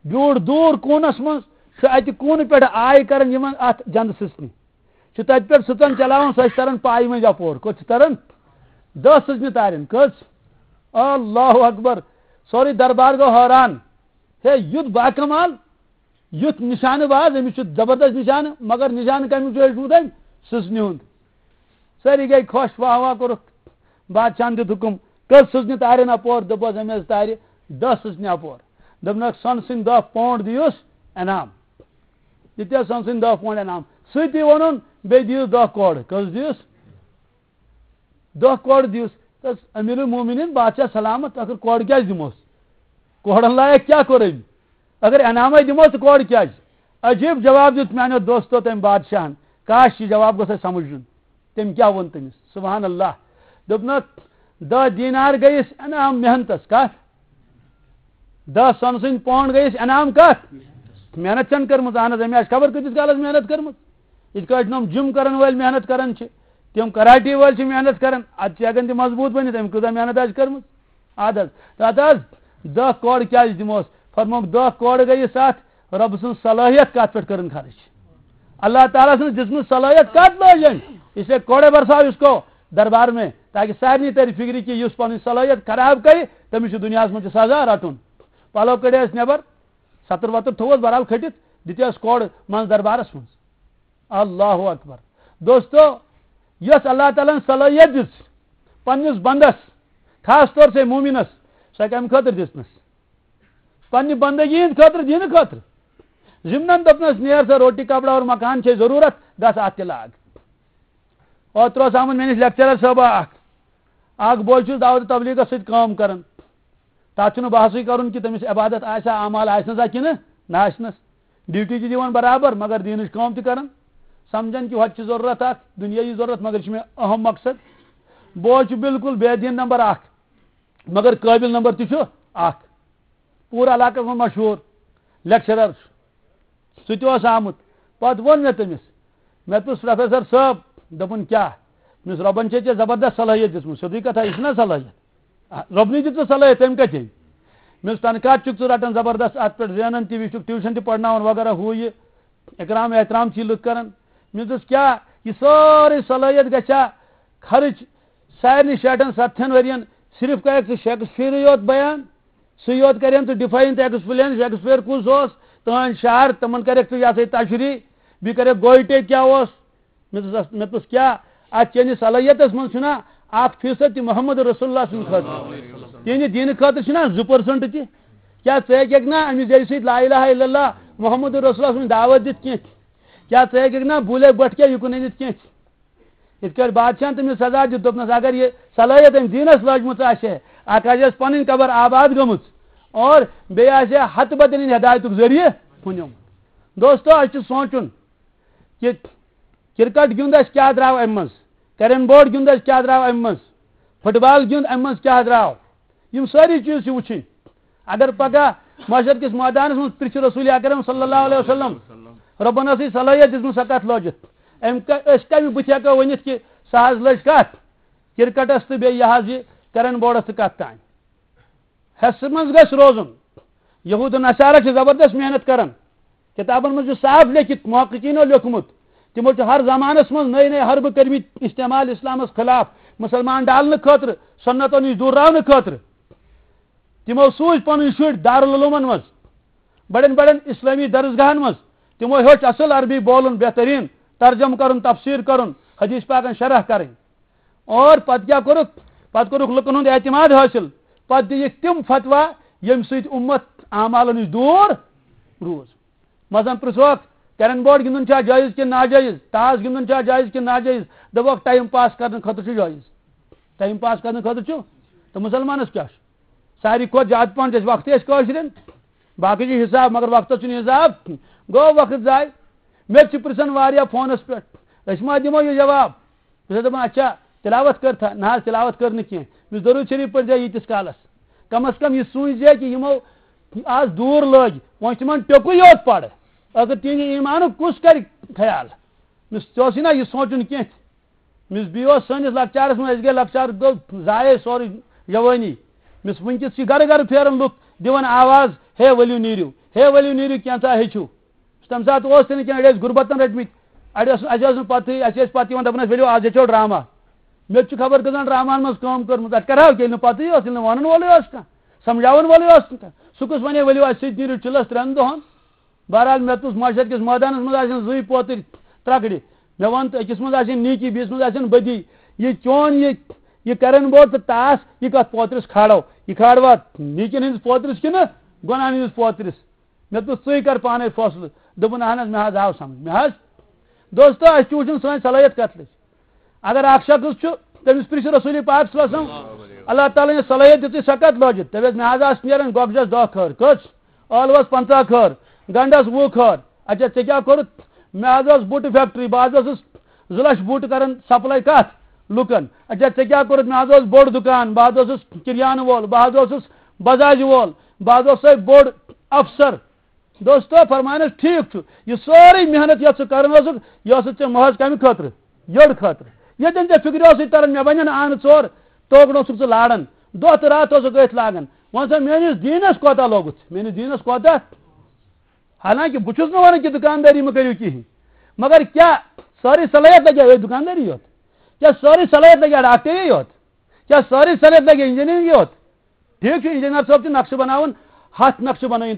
بیوٗٹھ دوٗر کوٗنس منٛز، چھُ اتہِ کوٗنہٕ پٮ۪ٹھٕ آے کران یِمن اتھ جنٛدٕ سٕژنہِ۔ چھُ تتہِ پٮ۪ٹھ سٕژن چلاوان، سۄ چھِ تران پایہِ مٔنٛزۍ اپور۔ کوٚت چھِ تران؟ دَہ سٕژنہِ تارٮ۪ن۔ کٔژ؟ اللہ اکبر۔ سورُے دربار گوٚو حٲران۔ ہے، یُتھ باکمال، یُتھ نشانہٕ باز، أمِس چھُ زبردست نشانہٕ، مگر نشانہٕ کمیُک چھُ ہیوٚچھمُت أمۍ؟ سٕژنہِ ہُنٛد۔ سٲری گٔے خۄش، واہ واہ کوٚرُکھ۔ بادشاہن دیُت حُکُم، کٔژ سٕژنہِ تارٮ۪ن اپور؟ دوٚپُس، أمۍ حظ تارِ دَہ سٕژنہِ اپور۔ دوٚپنَکھ، سۄنہٕ سٕنٛدۍ دَہ پونٛڈ دِیوس انعام۔ دِتِس سۄنہٕ سٕنٛدۍ دَہ پونٛڈ انعام۔ سۭتی ووٚنُن، بیٚیہِ دِیِس دَہ کورٕ۔ کٔژ دِیِس؟ دَہ کورٕ دِیِس۔ تس امیر المومنین، بادشاہ سلامت، ٲخر کورٕ کیٛازِ دِموس؟ کورن لایق کیٛاہ کوٚر أمۍ؟ اگر انعامے دِموس تہٕ کورٕ کیٛازِ؟ عجیب جواب دیُت میانیو دوستو تٔمۍ بادشاہن۔ کاش، یہِ جواب گوٚژھ اَسہِ سمجھ یُن۔ تٔمۍ کیٛاہ ووٚن تٔمِس؟ سبحان اللہ۔ دوٚپنَکھ، دَہ دینار گٔیَس انعام محنتس۔ کتھ؟ دَہ سۄنہٕ سٕنٛدۍ پونڈ گٔیَس انعام کتھ؟ محنت چھَنہٕ کٔرمٕژ۔ اہن حظ، أمۍ آسہِ خبر کۭتِس کالس محنت کٔرمٕژ۔ یِتھ کٲٹھۍ یِم جم کرن وٲلۍ محنت کران چھِ، تِم کراٹے وٲلۍ چھِ محنت کران، ادٕ چھِ ہٮ۪کان تِم مضبوٗط بٔنِتھ۔ أمۍ کۭژاہ محنت آسہِ کٔرمٕژ؟ ادٕ حظ، تتھ حظ دَہ کورٕ کیٛازِ دِموس؟ فرمووُکھ، دَہ کورٕ گٔیَس اتھ، رۄبہٕ سٕنٛز صلٲحیت کتھ پٮ۪ٹھ کٔرٕن خرٕچ؟ اللہ تعالیٰ سٕنٛز دِژمٕژ صلٲحیت کتھ لٲج أمۍ؟ اس لیے کوڑے برساو اس کو دربار میں، تاکہ سارنٕے ترِ فکرِ کہِ یُس پنٕنۍ صلٲحیت خراب کرِ، تٔمِس چھُ دُنیاہس منٛز تہِ سزا رٹُن۔ پلو کڑیس نٮ۪بر، ستر وتر تھووس بہرحال کھٔٹِتھ، دِتیس کوڑ منٛز دربارس منٛز۔ اللہ اکبر۔ دوستو، یۄس اللہ تعالیٰ ہن صلٲحیت دِژ پننِس بندس، خاص طور سے مومنس، سۄ کمہِ خٲطرٕ دِژنس؟ پننہِ بندگی ہٕنٛدِ خٲطرٕ، دینہٕ خٲطرٕ۔ ضمنن دوٚپنس، "نیر سا، روٹی، کپڑا اور مکان چھے ضروٗرت، گژھ اتھ تہِ لاگ۔" اوترٕ اوس آمُت مےٚ نِش لیکچرر صٲبہ اکھ۔ اکھ بوے چھُس دعوت تبلیغس سۭتۍ کٲم کران۔ تتھ چھُنہٕ بحثٕے کرُن کہِ تٔمِس عبادت آسہِ ہا، اعمال آسہِ نہ سا کِنہٕ نہ آسہِ نس۔ ڈیوٹی تہِ دِوان برابر، مگر دینٕچ کٲم تہِ کران۔ سمجھان کہِ ہۄتہِ چھِ ضروٗرت اکھ دُنیٲیی ضروٗرت، مگر یہِ چھُ مےٚ اہم مقصد۔ بوے چھُ بالکل بے دین نمبر اکھ، مگر قٲبل نمبر تہِ چھُ اکھ۔ پوٗرٕ علاقس منٛز مشہوٗر لیکچرر چھُ۔ سُہ تہِ اوس آمُت۔ پتہٕ ووٚن مےٚ تٔمِس، مےٚ دوٚپُس، "پروفیسر صٲب"، دوٚپُن، "کیٛاہ؟" مےٚ دوٚپُس، "رۄبن چھے ژےٚ زبردست صلٲحیت دِژمٕژ، سیوٚدُے کتھا، یہِ چھُنہ صلٲحیت؟ آ، رۄبنٕے دِژ ژےٚ صلٲحیت، تٔمۍ کتہِ أنۍ؟" مےٚ دوٚپُس، "تنخواہ تہِ چھُکھ ژٕ رٹان زبردست، اتھ پٮ۪ٹھ زینان تہِ، یہِ چھُکھ ٹیوٗشن تہِ پرناوان وغیرہ، ہُہ یہِ، اکرام احترام چھِ لُکھ کران۔" مےٚ دوٚپُس، "کیٛاہ یہِ سٲرٕے صلٲحیت گژھِ ہا خرٕچ سارنٕے شیٹھن ستتھن ؤرین؟ صرف کرکھ ژٕ شیکسپیئرٕے یوت بیان؟" سُے یوت کرن ژٕ ڈیفائن تہٕ ایکسپلین، شیکسپیئر کُس اوس، تہنٛد شعر، تِمن کرکھ ژٕ یہِ ہسا یہِ تشریح، بیٚیہِ کرکھ گوئٹے کیٛاہ اوس۔ مےٚ دوٚپُس، مےٚ دوٚپُس، کیٛاہ اتھ چٲنِس صلٲحیتس منٛز چھُنا اکھ فیصد تہِ محمد رسول اللہ سٕنٛدِ خٲطرٕ؟ تِہنٛدِ دیٖنہٕ خٲطرٕ چھُنا زٕ پٔرسنٹ تہِ؟ کیٛاہ ژٕ ہیٚککھ نا أمِس زیٚوِ سۭتۍ لا الہ الا اللہ محمد رسول اللہ سٕنٛز دعوت دِتھ کینٛہہ؟ کیٛاہ ژٕ ہیٚککھ نا بوٗلے بٹھ کیا یہِ کُن أنِتھ کینٛہہ؟ یِتھ کٲٹھۍ بادشاہن تٔمِس سزا دیُت، دوٚپنس، اگر یہِ صلٲحیت أمۍ دیٖنس لٲجمٕژ آسہِ ہے، اکھ آسہِ اَسہِ پنٕنۍ قبر آباد گٔمٕژ، اور بیٚیہِ آسہِ ہے ہتہٕ بدٮ۪ن ہٕنٛدِ ہدایتُک ذٔریعہٕ ہُنیومُت۔ دوستو، اَسہِ چھُ سونٛچُن کہِ کرکٹ گیُنٛد اَسہِ کیٛاہ درٛاو اَمہِ منٛز، کیرم بورڈ گیُنٛد اَسہِ کیٛاہ درٛاو اَمہِ منٛز، فٹ بال گیُنٛد اَمہِ منٛز کیٛاہ درٛاو۔ یِم سٲری چیٖز چھِ وٕچھِنۍ۔ اگر پگاہ محشر کِس مٲدانَس منٛز پرٛژھِ رسول اکرم صلی اللہ علیہ وسلم، رۄبَن ٲسٕے صلٲحیت دِژمٕژ، سۄ کَتھ لٲجِتھ؟ أمۍ کا-، أسۍ کَمہِ بٕتھِ ہٮ۪کو ؤنِتھ کہِ سۄ حظ لٔج کَتھ کرکٹَس تہٕ بیٚیہِ یہِ حظ یہِ کیرم بورڈَس تہٕ کَتھ تام؟ حصہٕ منٛز گژھِ روزُن۔ یہود و نصارہ چھِ زبردست محنت کران۔ کتابن منٛز چھُ صاف لیکھِتھ، محققینو لیوٚکھمُت۔ تِمو چھُ ہر زمانس منٛز نٔے نٔے حربہٕ کٔرمٕتۍ استعمال اسلامس خلاف، مسلمان ڈالنہٕ خٲطرٕ، سنتو نِش دوٗر راونہٕ خٲطرٕ۔ تِمو سوٗزۍ پنٕنۍ شُرۍ دارالعلومن منٛز، بڑٮ۪ن بڑٮ۪ن اسلٲمی درسگاہن منٛز۔ تِمو ہیوٚچھ اصل عربی بولُن بہتریٖن، ترجمہٕ کرُن، تفسیر کرُن، حدیث پاکن شرح کرٕنۍ۔ اور پتہٕ کیٛاہ کوٚرُکھ؟ پتہٕ کوٚرُکھ لُکن ہُنٛد اعتماد حٲصِل۔ پتہٕ دِیِکھ تِم فتوا، ییٚمہِ سۭتۍ اُمت اعمالو نِش دوٗر روٗز۔ مثلاً پرٛژھوکھ، کیرم بورڈ گِنٛدُن چھا جٲیِز کِنہٕ ناجٲیِز؟ تاش گِنٛدُن چھا جٲیِز کِنہٕ ناجٲیِز؟ دَپوکھ، ٹایم پاس کرنہٕ خٲطرٕ چھُ جٲیِز۔ ٹایم پاس کرنہٕ خٲطرٕ چھُ۔ تہٕ مُسلمانَس کیٛاہ چھُ؟ ساروی کھۄتہٕ زیادٕ پَہَن چھِ اَسہِ وقتٕے اَسہِ کٲشرٮ۪ن۔ باقٕے چھُ حِساب، مگر وقتَس چھُنہٕ حِساب۔ گوٚو وقت ضایع۔ مےٚ تہِ چھِ پرٛژھان واریاہ فونَس پٮ۪ٹھ، أسۍ ما دِمو یہِ جواب؟ بہٕ چھُس دَپان، اچھا، تِلاوت کٔر تھا؟ نہ حظ، تِلاوت کٔر نہٕ کینٛہہ۔ مےٚ چھُ ضروٗری شریٖف پٔرۍ زِ ییٖتِس کالَس۔ کم از کم یہِ سوٗنٛچ زِ کہِ یِمو آز دوٗر لٲگۍ، وۄنۍ چھِ تِمن ٹیوٚکُے یوت پَرٕ۔ ٲخٕر تِہِنٛدِ ایٖمانُک کُس کَرِ خیال؟ مےٚ ژےٚ اوسُے نہ یہِ سونٛچُن کینٛہہ۔ مےٚ بیٚیہِ اوس سٲنِس لۄکچارَس منٛز، أسۍ گٔے لۄکچار، گوٚو ضایع سورُے جوٲنی۔ مےٚ وٕنکیٚس چھِ گَرٕ گَرٕ پھیران لُکھ دِوان آواز، "ہے ؤلِو نیٖرِو، ہے ؤلِو نیٖرِو، کینٛژھا ہیٚچھِو۔" تَمہِ ساتہٕ اوس تہِ نہٕ کینٛہہ، أڑۍ ٲسۍ غُربتَن رٔٹمٕتۍ، اَڑِ ٲس، اَسہِ ٲس نہٕ پَتہٕے، اَسہِ ٲسۍ پَتہٕ یِوان دَپان ٲسۍ، "ؤلِو آز ہیٚچھو ڈرٛاما۔" مےٚ تہِ چھُ خبر کٔژَن ڈرٛاماہَن منٛز کٲم کٔرمٕژ، اَتہِ کَرٕہاو کینٛہہ، ییٚلہِ نہٕ پَتہٕے اوس، ییٚلہِ نہٕ وَنَن وولٕے اوس کانٛہہ، سَمجھاوَن وولٕے اوس نہٕ کانٛہہ۔ سُہ کُس وَنے، "ؤلِو اَسہِ سۭتۍ نیٖرِو چِلَس ترٛٮ۪ن دۄہَن؟" بہرحال، مےٚ تُل محشر کِس مٲدانَس منٛز آسن زٕے پوتٕرۍ ترٛکڑِ۔ مےٚ وَن تہٕ أکِس منٛز آسن نیٖکی، بیٚیِس منٛز آسن بدی۔ یہِ چون یہِ، یہِ کیرم بورڈ تہٕ تاش، یہِ کَتھ پوترِس کھالو؟ یہِ کھالوا نیٖکِن ہٕنٛدِس پوترِس کِنہٕ گۄناہَن ہٕنٛدِس پوترِس؟ مےٚ دوٚپُس، "ژٕے کر پانے فٲصلہٕ۔" دوٚپُن، "اہن حظ، مےٚ حظ آو سمجھ، مےٚ حظ۔" دوستو، اَسہِ چھُ وٕچھُن سٲنۍ صلٲحیت کَتھ لٔج۔ اگر اَکھ شخص چھُ، تٔمِس پرٛژھِ رسول پاک صلی اللہ علیہ وسلم، اللہ تعالیٰ ہن یہِ صلٲحیت دِژٕے، سۄ کَتھ لٲجِتھ؟ دَپٮ۪س، مےٚ حظ آسہٕ نیران گۄگجَس دَہ کھٔر۔ کٔژ؟ ٲلوَس پنٛژاہ کھٔر، گنٛڈَس وُہ کھٔر۔ اچھا، ژےٚ کیٛاہ کوٚرُتھ؟ مےٚ حظ ٲس بوٗٹہٕ فیکٹری، بہٕ حظ اوسُس زٕ لَچھ بوٗٹہٕ کَران سپلاے کَتھ؟ لُکَن۔ اچھا، ژےٚ کیٛاہ کوٚرُتھ؟ مےٚ حظ اوس بوٚڑ دُکان، بہٕ حظ اوسُس کِریانہٕ وول، بہٕ حظ اوسُس بجاج وول، بہٕ حظ اوسُس بوٚڑ افسر۔ دوستو، فرمانس ٹھیک چھُ، یہِ سٲرٕے محنت یۄس ژٕ کران اوسُکھ، یہِ ٲسٕتھ ژےٚ محض کمہِ خٲطرٕ؟ یٔڑ خٲطرٕ۔ ییٚتٮ۪ن ژےٚ فکرِ اوسُے تران، مےٚ بنن آنہٕ ژور، توکُن اوسُکھ ژٕ لاران، دۄہ تہٕ راتھ اوسُکھ أتھۍ لاگان۔ وۄنۍ سا میٲنِس دیٖنس کوتاہ لوگُتھ؟ میٲنِس دیٖنس کوتاہ؟ حالانکہ بہٕ چھُس نہٕ ونان کہِ دُکاندٲری مہ کٔرِو کِہیٖنۍ، مگر کیٛاہ سٲرٕے صلٲحیت لگیا أتھۍ دُکاندٲری یوت؟ کیٛاہ سٲرٕے صلٲحیت لگیا ڈاکٹری یوت؟ کیٛاہ سٲرٕے صلٲحیت لگیا انجینئرنگ یوت؟ ٹھیک چھُ، انجینئر صٲب چھُ نقشہٕ بناوان، ہتھ نقشہٕ بنٲیِن۔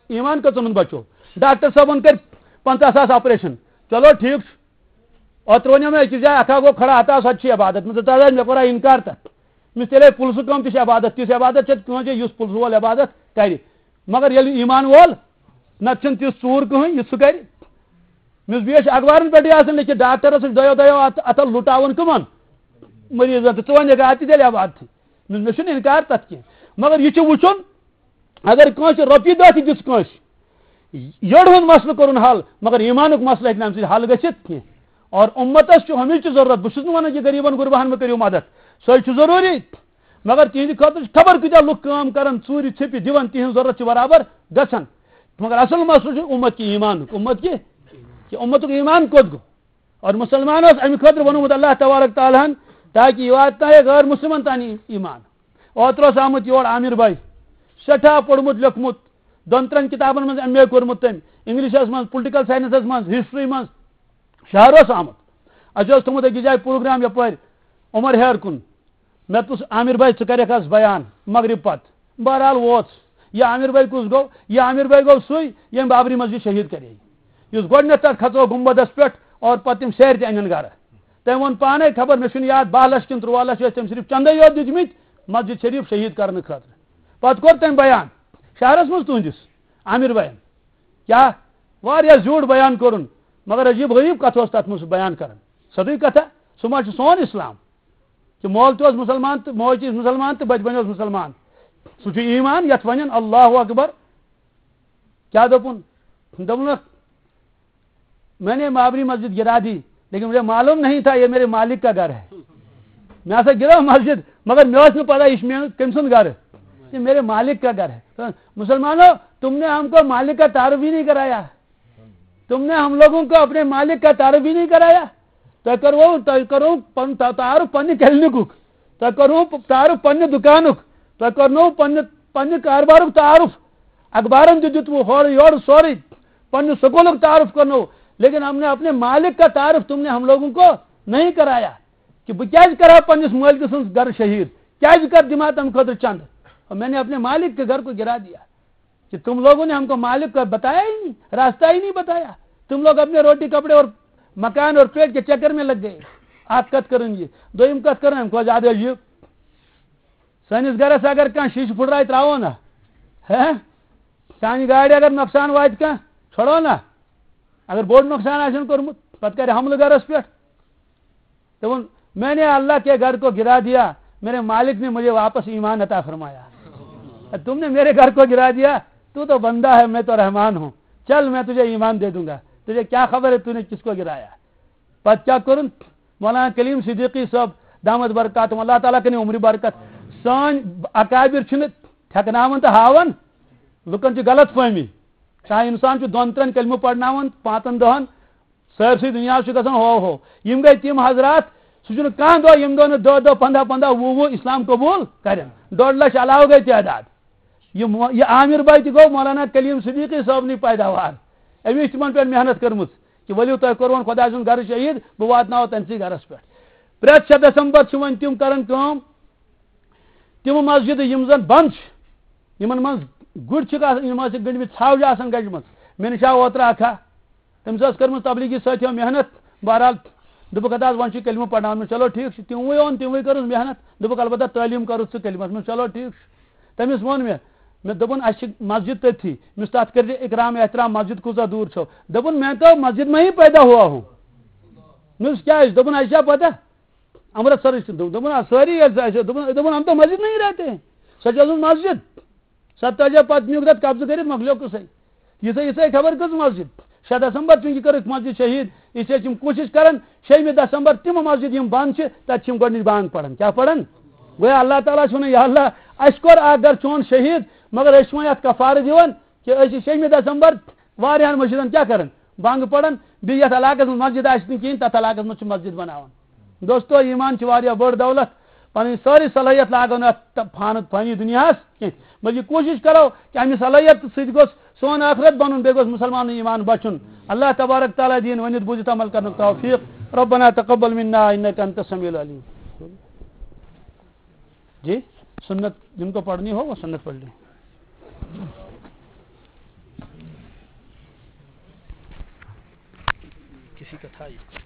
ایمان کٔژَن ہُنٛد بچو؟ ڈاکٹر صٲبن کٔرۍ پنٛژاہ ساس آپریشن۔ چلو ٹھیک چھُ۔ اوترٕ وَنیو مےٚ أکِس جایہِ، اکھ ہا گوٚو کھڑا، ہتا سۄ تہِ چھِ عبادت۔ مےٚ دوٚپ، تَتھ حظ مےٚ کوٚرا انکار تَتھ۔ مےٚ دوٚپُس، تیٚلے پُلسہٕ کٲم تہِ چھِ عبادت، تِژھ عبادت چھےٚ کٲنٛسہِ، یُس پُلسہٕ وول عبادت کرِ۔ مگر ییٚلہِ ایمان وول، نتہٕ چھُنہٕ تیُتھ ژوٗر کٕہٕنۍ، یُس سُہ کرِ۔ مےٚ اوس بیٚیہِ اخبارن پٮ۪ٹھٕے آسان لیکھِتھ، ڈاکٹرس چھِ دۄیو دۄیو اتھ-، اتھو لُٹاوان کٕمن؟ مریضن۔ تہٕ ژٕ وَنکھ، اتھ تہِ تیٚلہِ عبادتھٕے۔ مےٚ، مےٚ چھُنہٕ انکار تتھ کینٛہہ، مگر یہِ چھُ وُچھُن، اگر کٲنٛسہِ رۄپیہِ دہ تہِ دِژ کٲنٛسہِ، یٔڑ ہُنٛد مسلہٕ کوٚرُن حل، مگر ایمانُک مسلہٕ ہیٚکہِ نہٕ امہِ سۭتۍ حل گٔژھِتھ کینٛہہ۔ اور امتس چھُ ہمیشہِ ضروٗرت، بہٕ چھُس نہٕ ونان کہِ غریبن غرباہن مہ کٔرِو مدد، سۄے چھُ ضروٗری، مگر تِہنٛدِ خٲطرٕ چھِ خبر کۭتیاہ لُکھ کٲم کران، ژوٗرِ ژھیٚپہِ دِوان، تِہنٛز ضروٗرت چھِ برابر گژھان۔ مگر اصل مسلہٕ چھُ امت کہِ ایمانُک، امت کہِ، کہِ امتُک ایمان کوٚت گوٚو؟ اور مسلمان اوس امہِ خٲطرٕ ووٚنمُت اللہ تبارک تعالیٰ ہن، تاکہ یہِ واتنایہِ غٲر مسلمن تام ایمان۔ اوترٕ اوس آمُت یور عامر بھائی، سٮ۪ٹھاہ پوٚرمُت لیوٚکھمُت، دۄن ترٛٮ۪ن کِتابن منٛز ایم اے کوٚرمُت تٔمۍ، انگلشس منٛز، پُلٹیکل ساینسس منٛز، ہسٹری منٛز، شہر اوس آمُت۔ اَسہِ اوس تھوٚمُت أکِس جایہِ پروگرام یپٲرۍ عمر ہیر کُن۔ مےٚ دوٚپُس، عامر بھائی، ژٕ کَرٮ۪کھ آز بیان مغرب پتہٕ۔ بہرحال ووت۔ یہِ عامر بھائی کُس گوٚو؟ یہِ عامر بھائی گوٚو سُے، ییٚمۍ بابری مسجد شہیٖد کرے، یُس گۄڈٕنٮ۪تھ تَتھ کھژو گُنبدس پٮ۪ٹھ اور پتہٕ تِم سیرِ تہِ اَنٮ۪ن گرٕ۔ تٔمۍ ووٚن پانے، خبر مےٚ چھُنہٕ یاد، باہ لچھ کِنہٕ تُرٛواہ لچھ ٲسۍ تٔمۍ صرف چندے یوت دِتمٕتۍ مسجد شریف شہیٖد کرنہٕ خٲطرٕ۔ پتہٕ کوٚر تٔمۍ بیان شہرس منٛز تُہنٛدِس عامر بھاین۔ کیٛاہ؟ واریاہ زیوٗٹھ بیان کوٚرُن، مگر عجیب غریب کتھ اوس تتھ منٛز سُہ بیان کران۔ سیوٚدُے کتھا، سُہ ما چھُ سون اسلام؟ کہ مول تہِ اوس مسلمان تہٕ موج تہِ ٲس مسلمان تہٕ بچپن اوس مسلمان۔ سُہ چھُ ایمان یتھ ونان اللہ اکبر۔ کیٛاہ دوٚپُن؟ دوٚپُنکھ، میں نے بابری مسجد گرا دی، لیکن مجھے معلوم نہیں تھا یہ میرے مالک کا گھر ہے۔ مےٚ ہسا گِرٲو مسجد، مگر مےٚ اوس نہٕ پتہ یہِ چھُ میون، کٔمۍ سُنٛد گرٕ۔ یہ میرے مالک کا گھر ہے۔ تو مسلمانوں، تم نے ہم کو مالک کا تعارف ہی نہیں کرایا۔ تم نے ہم لوگوں کو اپنے مالک کا تعارف ہی نہیں کرایا۔ تۄہہِ کوٚروٕ، تۄہہِ کوٚروٕ پن-، تا-، تعارف پننہِ کلینکُک، تۄہہِ کوٚروٕ تعارف پننہِ دُکانُک، تۄہہِ کوٚرنوٕ پننہِ، پننہِ کاربارُک تعارف۔ اخبارن تہِ دیُتوٕ ہورٕ یورٕ سورُے، پننہِ سکوٗلُک تعارف کوٚرنوٕ، لیکن ہم نے اپنے مالک کا تعارف تم نے ہم لوگوں کو نہیں کرایا۔ کہ بہٕ کیازِ کرٕ ہا پننِس مٲلکہٕ سٕنٛز گرٕ شہیٖد؟ کیازِ کر دِمہٕ ہا تمہِ خٲطرٕ چندٕ؟ اور میں نے اپنے مالک کے گھر کو گرا دیا کہ تم لوگوں نے ہم کو مالک کا بتایا ہی نہیں، راستہ ہی نہیں بتایا۔ تم لوگ اپنے روٹی کپڑے اور مکان اور پیٹ کے چکر میں لگ گئے۔ اکھ کتھ کٔرٕن یہِ۔ دوٚیِم کتھ کٔرٕن امہِ کھۄتہٕ زیادٕ عجیٖب۔ سٲنِس گرس اگر کانٛہہ شیٖشہٕ پھٕٹرایہِ ترٛاوو نا، ہے، سانہِ گاڑِ اگر نۄقصان واتہِ کانٛہہ، چھۄڑو نا۔ اگر بوٚڑ نۄقصان آسن کوٚرمُت، پتہٕ کرِ حملہٕ گرس پٮ۪ٹھ۔ تو میں نے اللہ کے گھر کو گرا دیا، میرے مالک نے مجھے واپس ایمان عطا فرمایا۔ تم نے میرے گھر کو گرا دیا، تو تو بندہ ہے، میں تو رحمان ہوں، چل میں تجھے ایمان دے دوں گا، تجھے کیا خبر ہے تو نے کس کو گرایا۔ پتہٕ کیٛاہ کوٚرُن؟ مولانا کلیم صدیقی صٲب دامت برکاتہم، اللہ تعالیٰ کٔرِن عمرِ برکت۔ سٲنۍ اکابر چھِنہٕ تھٮ۪کناوان تہٕ ہاوان، لُکن چھِ غلط فہمی۔ کانٛہہ انسان چھُ دۄن ترٛٮ۪ن کلمہٕ پرناوان، پانٛژن دہن، سٲرسٕے دُنیاہس چھُ گژھان ہو ہو۔ یِم گٔے تِم حضرات، سُہ چھُنہٕ کانٛہہ دۄہ، یِم دۄہ نہٕ دَہ دَہ، پنٛداہ پنٛداہ، وُہ وُہ اسلام قبول کرن۔ ڈۄڈ لچھ علاوٕ گٔے تعداد۔ یہِ مو-، یہِ عامر بھائی تہِ گوٚو مولانا کلیم صدیقی صٲبنٕے پیداوار۔ أمۍ چھِ تِمن پٮ۪ٹھ محنت کٔرمٕژ کہ ؤلِو تۄہہِ کوٚروٕ خۄداے سُنٛد گرٕ شہیٖد، بہٕ واتناوو تٔمسٕے گرس پٮ۪ٹھ۔ پرٛٮ۪تھ شےٚ دسمبر چھِ وۄنۍ تِم کران کٲم، تِم مسجدٕ یِم زن بنٛد چھِ، یِمن منٛز گُرۍ چھِکھ آسان، یِم آسہِ گٔنٛڈمٕتۍ، ژھاوجہِ آسان گجمژٕ۔ مےٚ نِش آو اوترٕ اکھ ہا، تٔمِس ٲس کٔرمٕژ تبلیغی سٲتھیو محنت۔ بہرحال دوٚپُکھ، "اَدٕ حظ وۄنۍ چھُ کلمہٕ پرناوُن۔" مےٚ، "چلو ٹھیٖک چھُ۔" تِموٕے اوٚن، تِموٕے کٔرٕس محنت۔ دوٚپُکھ، "البتہ تعلیٖم کَرُتھ ژٕ کلمس منٛز۔" چلو ٹھیٖک چھُ۔ تٔمِس ووٚن مےٚ، مےٚ دوٚپُن، "اَسہِ چھِ مسجد تٔتھی۔" مےٚ اوس تَتھ کٔرِتھ اِکرام احترام، "مسجد کۭژاہ دوٗر چھو؟" دوٚپُن، "میں تو مسجد میں ہی پیدا ہوا ہوں۔" مےٚ دوٚپُس، "کیٛازِ؟" دوٚپُن، "اَسہِ چھا پَتہ؟ امرتسرٕکۍ چھِ۔" دوٚپ-، دوٚپُن، "آ، سٲری ییٚلہِ سۄ آسہِ۔" دوٚپُن، دوٚپُن، "ہم تو مسجد نہیں رہتے ہیں۔" سۄ چھِ ٲسمٕژ مسجد۔ سۄ تَتہِ پَتہٕ نیوٗکھ تَتھ قبضہٕ کٔرِتھ، مۄکلیو قٕصَے۔ یِژھے، یِژھے خبر کٔژ مسجد۔ شےٚ دسمبر چوٗنٛکہِ کٔرٕکھ مسجد شہیٖد، اِسلیے چھِ یِم کوٗشِش کران، شیٚیِمہِ دسمبر تِمہٕ مسجد یِم بنٛد چھِ، تَتہِ چھِ یِم گۄڈٕنِچ بانگ پران۔ کیٛاہ پران؟ گویا اللہ تعالیٰ چھُ وَنان، یا اللہ، اَسہِ کوٚر اکھ گرٕ چون شہیٖد، مگر أسۍ چھِ وۄنۍ اَتھ کفارٕ دِوان کہِ أسۍ چھِ شیٚیِمہِ دسمبر واریاہن مسجدن کیٛاہ کران؟ بانگ پران۔ بیٚیہِ یَتھ علاقس منٛز مسجد آسہِ نہٕ کِہیٖنۍ، تَتھ علاقس منٛز چھِ مسجد بناوان۔ دوستو، ایمان چھِ واریاہ بٔڑ دولت۔ پنٕنۍ سٲرٕے صلٲحیت لاگو نہٕ اَتھ تہٕ فانی، فانی دُنیاہَس کینٛہہ، بلکہِ کوٗشِش کرو کہِ اَمہِ صلٲحیت سۭتۍ گوٚژھ سون ٲخرت بَنُن، بیٚیہِ گوٚژھ مُسلمانُن ایمان بَچُن۔ اللہ تبارک تعالیٰ دِیِن ؤنِتھ بوٗزِتھ عمل کرنُک توفیٖق۔ ربنا تقبل منا انک انت السمیع العلیم۔ جی، سنت جن کو پڑھنی ہو، وہ سنت پڑھ لیں۔ کسی کا تھا یہ۔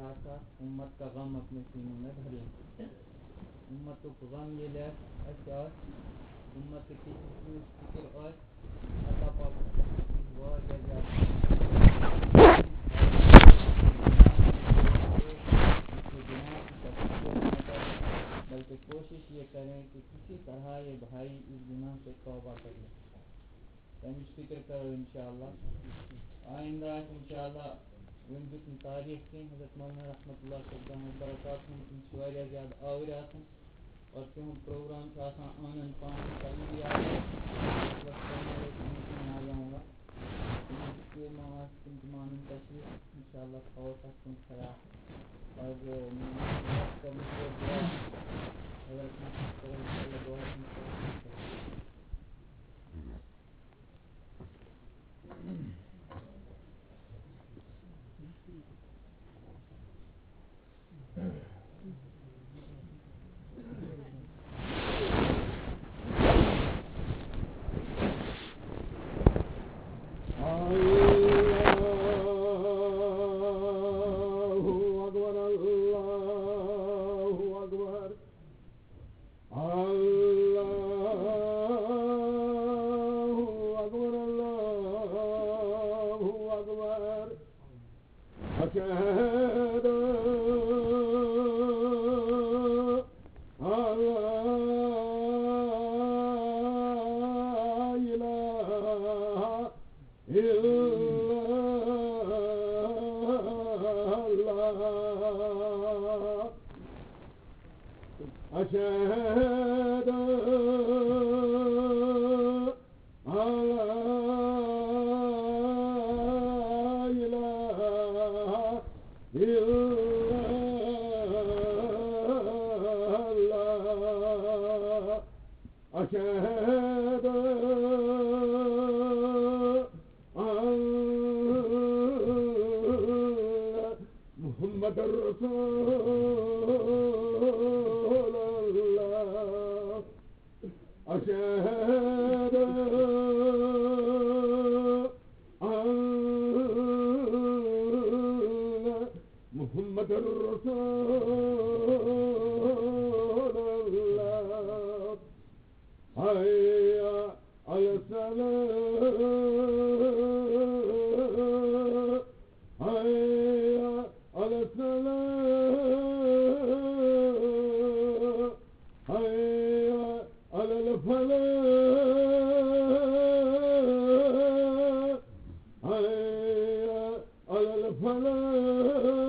آسہِ ہا، اُمت کا غم اپنے سینوں میں بھر لیں۔ اُمتُک غم ییٚلہِ آسہِ اَسہِ آسہِ، اُمتٕچ یُس فِکِر آسہِ، اللہ پاکَس پٮ۪ٹھ چھِ واریاہ زیادٕ، بلکہ کوٗشِش یہِ کریں کہ کسی طرح یہ بھائی اس گناہ سے توبہ کر لے۔ تَمِچ فِکِر کرو اِنشاءاللہ۔ آیندٕ آسہِ اِنشاءاللہ، وۄنۍ دیُت نہٕ تاریٖخ کینٛہہ، حضرت مولانا رحمتہ اللہ صٲب دامت برکاتہم، تِم چھِ واریاہ زیادٕ آوٕرۍ آسان اور تِہُنٛد پروگرام چھُ آسان آنن پانن تَمی یاد۔ مطلب، تِم چھِنہٕ آز یِوان۔ تِم چھِ پیٖر محمد، تِم تہِ مانن تشریٖف۔ اِنشاءاللہ تھاوو تَتھ کُن خیال۔ آز، اَ، حضرت محمد صٲب، اِنشاءاللہ دُعا کُن خیال۔ الله أكبر، الله أكبر، الله أكبر، الله أكبر. أشهد أن لا إله إلا الله. أشهد أن لا إله إلا الله. أشهد أن محمدا رسول الله. أشهد أن محمدا رسول الله. حي على الصلاة، حي على الصلاة، حي على الفلاح، حي على الفلاح. الله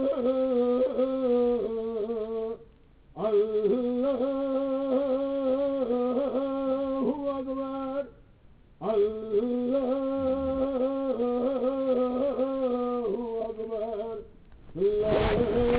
أكبر، الله أكبر، لا إله إلا الله.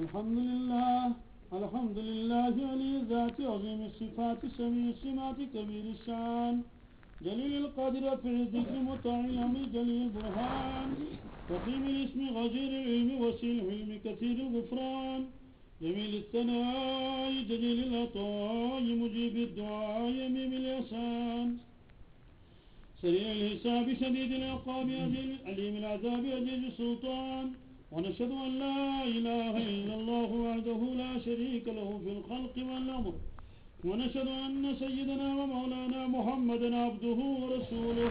الحمد لله، الحمد لله علي الذات عظيم الصفات سميع السمات كبير الشان جليل القدر رفيع الذكر مطاع الأمر جليل البرهان قديم الاسم غزير العلم وسيع الحلم كثير الغفران جميل الثناء جليل العطاء مجيب الدعاء عميم الإحسان سريع الحساب شديد العقاب أليم العذاب عزيز السلطان. ونشهد أن لا إله إلا الله وحده لا شريك له في الخلق والأمر. ونشهد أن سيدنا ومولانا محمدا عبده ورسوله.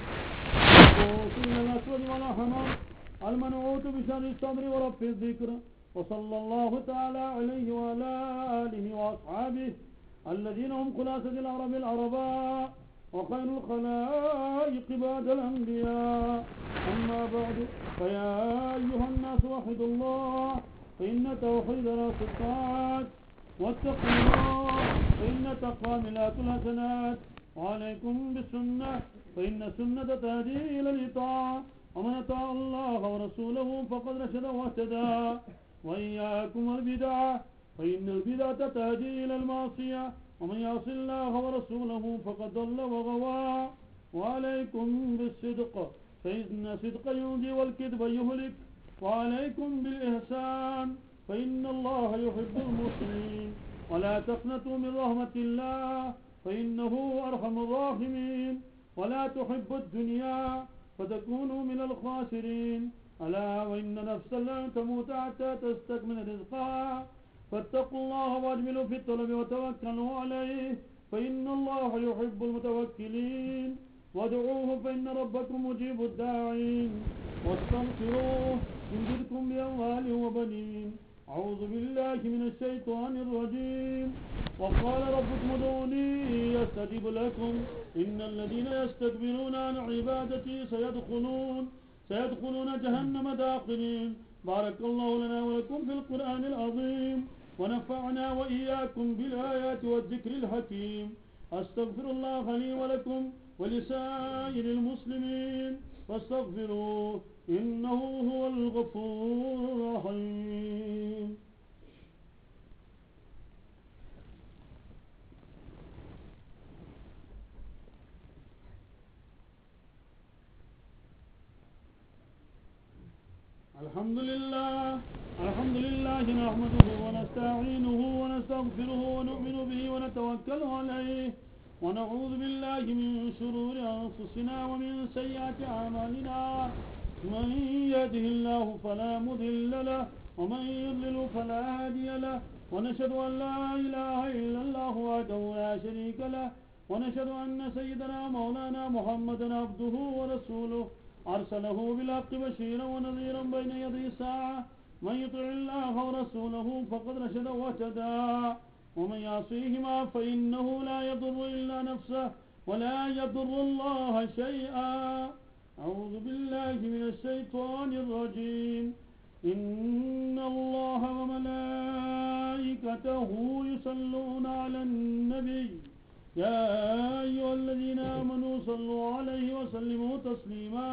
المبعوث إلى الأسود والأحمر. المنعوت بشر الصدر ورفع الذكر. وصلى الله تعالى عليه وعلى آله وأصحابه الذين هم خلاصة العرب العرباء وخير الخلائق بعد الأنبياء. أما بعد، فيا أيها الناس وحدوا الله، فإن التوحيد رأس الطاعات، واتقوا الله، فإن التقوى ملاك الحسنات، وعليكم بالسنة، فإن السنة تهدي إلى الإطاعة، ومن أطاع الله ورسوله فقد رشد واهتدى، وإياكم والبدعة، فإن البدعة تهدي إلى المعصية، ومن يعص الله ورسوله فقد ضل وغوى. وعليكم بالصدق، فإن الصدق ينجي والكذب يهلك. وعليكم بالإحسان، فإن الله يحب المحسنين. ولا تقنطوا من رحمة الله، فإنه أرحم الراحمين. ولا تحب الدنيا، فتكونوا من الخاسرين. ألا وإن نفسا لن تموت حتى تستكمل رزقها، فاتقوا الله وأجملوا في الطلب وتوكلوا عليه، فإن الله يحب المتوكلين. وادعوه فإن ربكم مجيب الداعين، واستغفروه يمددكم بأموال وبنين. أعوذ بالله من الشيطان الرجيم. وقال ربكم ادعوني أستجب لكم. إن الذين يستكبرون عن عبادتي سيدخلون سيدخلون جهنم داخرين. بارك الله لنا ولكم في القرآن العظيم، ونفعنا وإياكم بالآيات والذكر الحكيم. أستغفر الله لي ولكم ولسائر المسلمين فاستغفروه، إنه هو الغفور الرحيم. الحمد لله. الحمد لله نحمده ونستعينه ونستغفره ونؤمن به ونتوكل عليه، ونعوذ بالله من شرور أنفسنا ومن سيئات أعمالنا. من يهده الله فلا مضل له، ومن يضلل فلا هادي له. ونشهد أن لا إله إلا الله وحده لا شريك له، ونشهد أن سيدنا مولانا محمدا عبده ورسوله، أرسله بالحق بشيرا ونذيرا بين يدي الساعة. من يطع الله ورسوله فقد رشد واهتدى، ومن يعصيهما فإنه لا يضر إلا نفسه ولا يضر الله شيئا. أعوذ بالله من الشيطان الرجيم. إن الله وملائكته يصلون على النبي، يا أيها الذين آمنوا صلوا عليه وسلموا تسليما.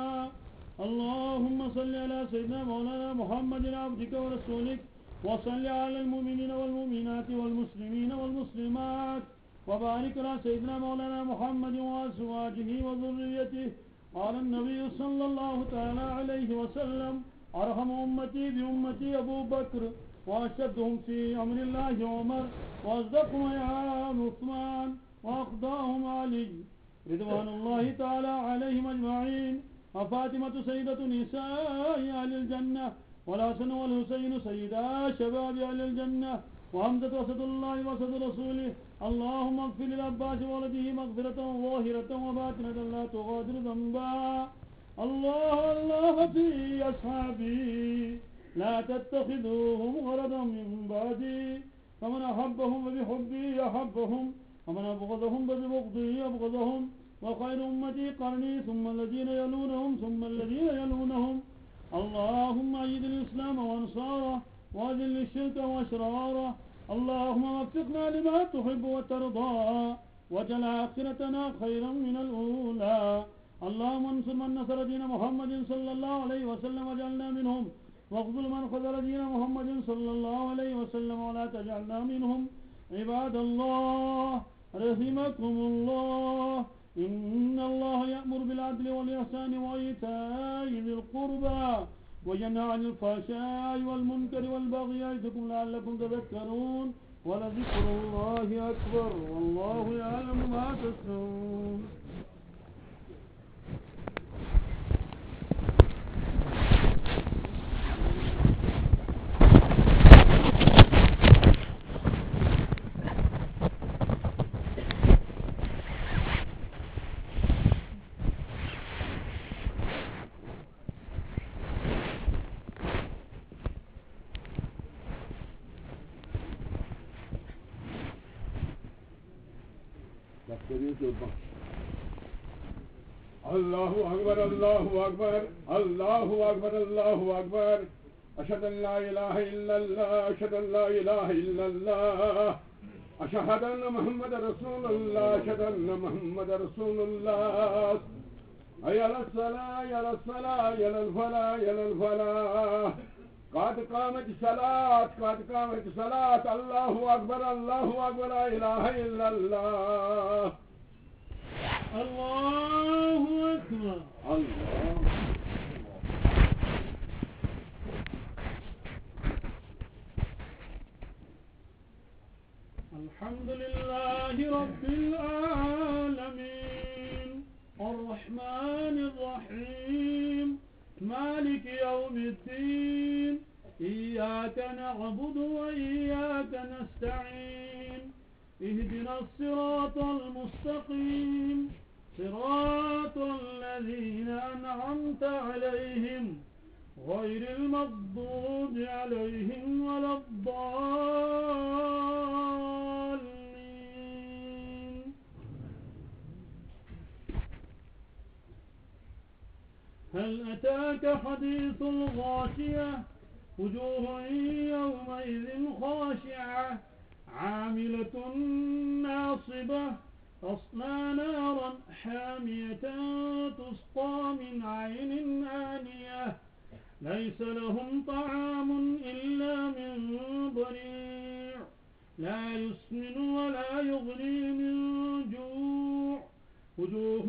اللهم صل على سيدنا مولانا محمد عبدك ورسولك، وصل على المؤمنين والمؤمنات والمسلمين والمسلمات، وبارك على سيدنا مولانا محمد وأزواجه وذريته. قال النبي صلى الله تعالى عليه وسلم: أرحم أمتي بأمتي أبو بكر، وأشدهم في أمر الله عمر، وأصدقهم عثمان، وأقضاهم علي، رضوان الله تعالى عليهم أجمعين. وفاطمة سيدة نساء أهل الجنة، والحسن والحسين سيدا شباب أهل الجنة، وحمزة أسد الله وأسد رسوله. اللهم اغفر للعباس وولده مغفرة ظاهرة وباطنة لا تغادر ذنبا. الله الله في أصحابي، لا تتخذوهم غرضا من بعدي، فمن أحبهم فبحبي أحبهم، ومن أبغضهم فببغضي أبغضهم، وخير أمتي قرني ثم الذين يلونهم ثم الذين يلونهم. اللهم أيد الإسلام وأنصاره، وأذل الشرك وأشراره. اللهم وفقنا لما تحب وترضى، واجعل آخرتنا خيرا من الأولى. اللهم انصر من نصر دين محمد صلى الله عليه وسلم واجعلنا منهم، واخذل من خذل دين محمد صلى الله عليه وسلم ولا تجعلنا منهم. عباد الله، رحمكم الله، إن الله يأمر بالعدل والإحسان وإيتاء ذي القربى وينهى عن الفحشاء والمنكر والبغي يعظكم لعلكم تذكرون. ولذكر الله أكبر، والله يعلم ما تصنعون. الله أكبر، الله أكبر، الله أكبر، الله أكبر. أشهد أن لا إله إلا الله، أشهد أن لا إله إلا الله، أشهد أن محمد رسول الله، أشهد أن محمد رسول الله. حي على الصلاة، حي على الصلاة، حي على الفلاح، حي على الفلاح. قد قامت الصلاة، قد قامت الصلاة. الله أكبر، الله أكبر، لا إله إلا الله. الله أكبر. الله أكبر. الدين. إياك نعبد وإياك نستعين. اهدنا الصراط المستقيم. صراط الذين أنعمت عليهم غير المغضوب عليهم ولا الضالين. هل أتاك حديث الغاشية؟ وجوه يومئذ خاشعة، عاملة ناصبة، تصلى نارا حامية، تسقى من عين آنية، ليس لهم طعام إلا من ضريع، لا يسمن ولا يغني من جوع. وجوه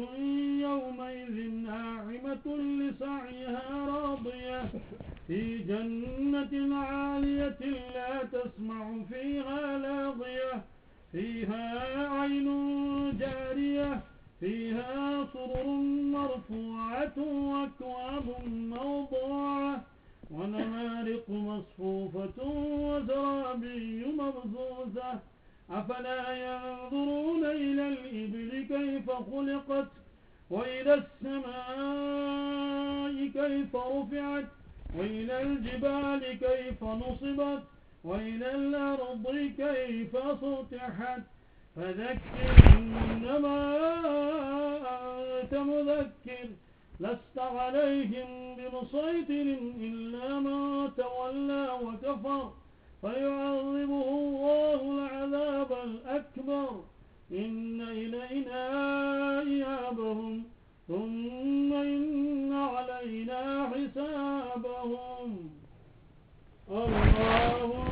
يومئذ ناعمة، لسعيها راضية، في جنة عالية، لا تسمع فيها لاغية، فيها عين جارية، فيها سرر مرفوعة، وأكواب موضوعة، ونمارق مصفوفة، وزرابي مبثوثة. أفلا ينظرون إلى الإبل كيف خلقت، وإلى السماء كيف رفعت، وإلى الجبال كيف نصبت، وإلى الأرض كيف سطحت. فذكر إنما أنت مذكر، لست عليهم بمسيطر إلا من تولى وكفر، فيعذبه الله العذاب الأكبر، إن إلينا إيابهم، ثم إن علينا حسابهم. الله أكبر.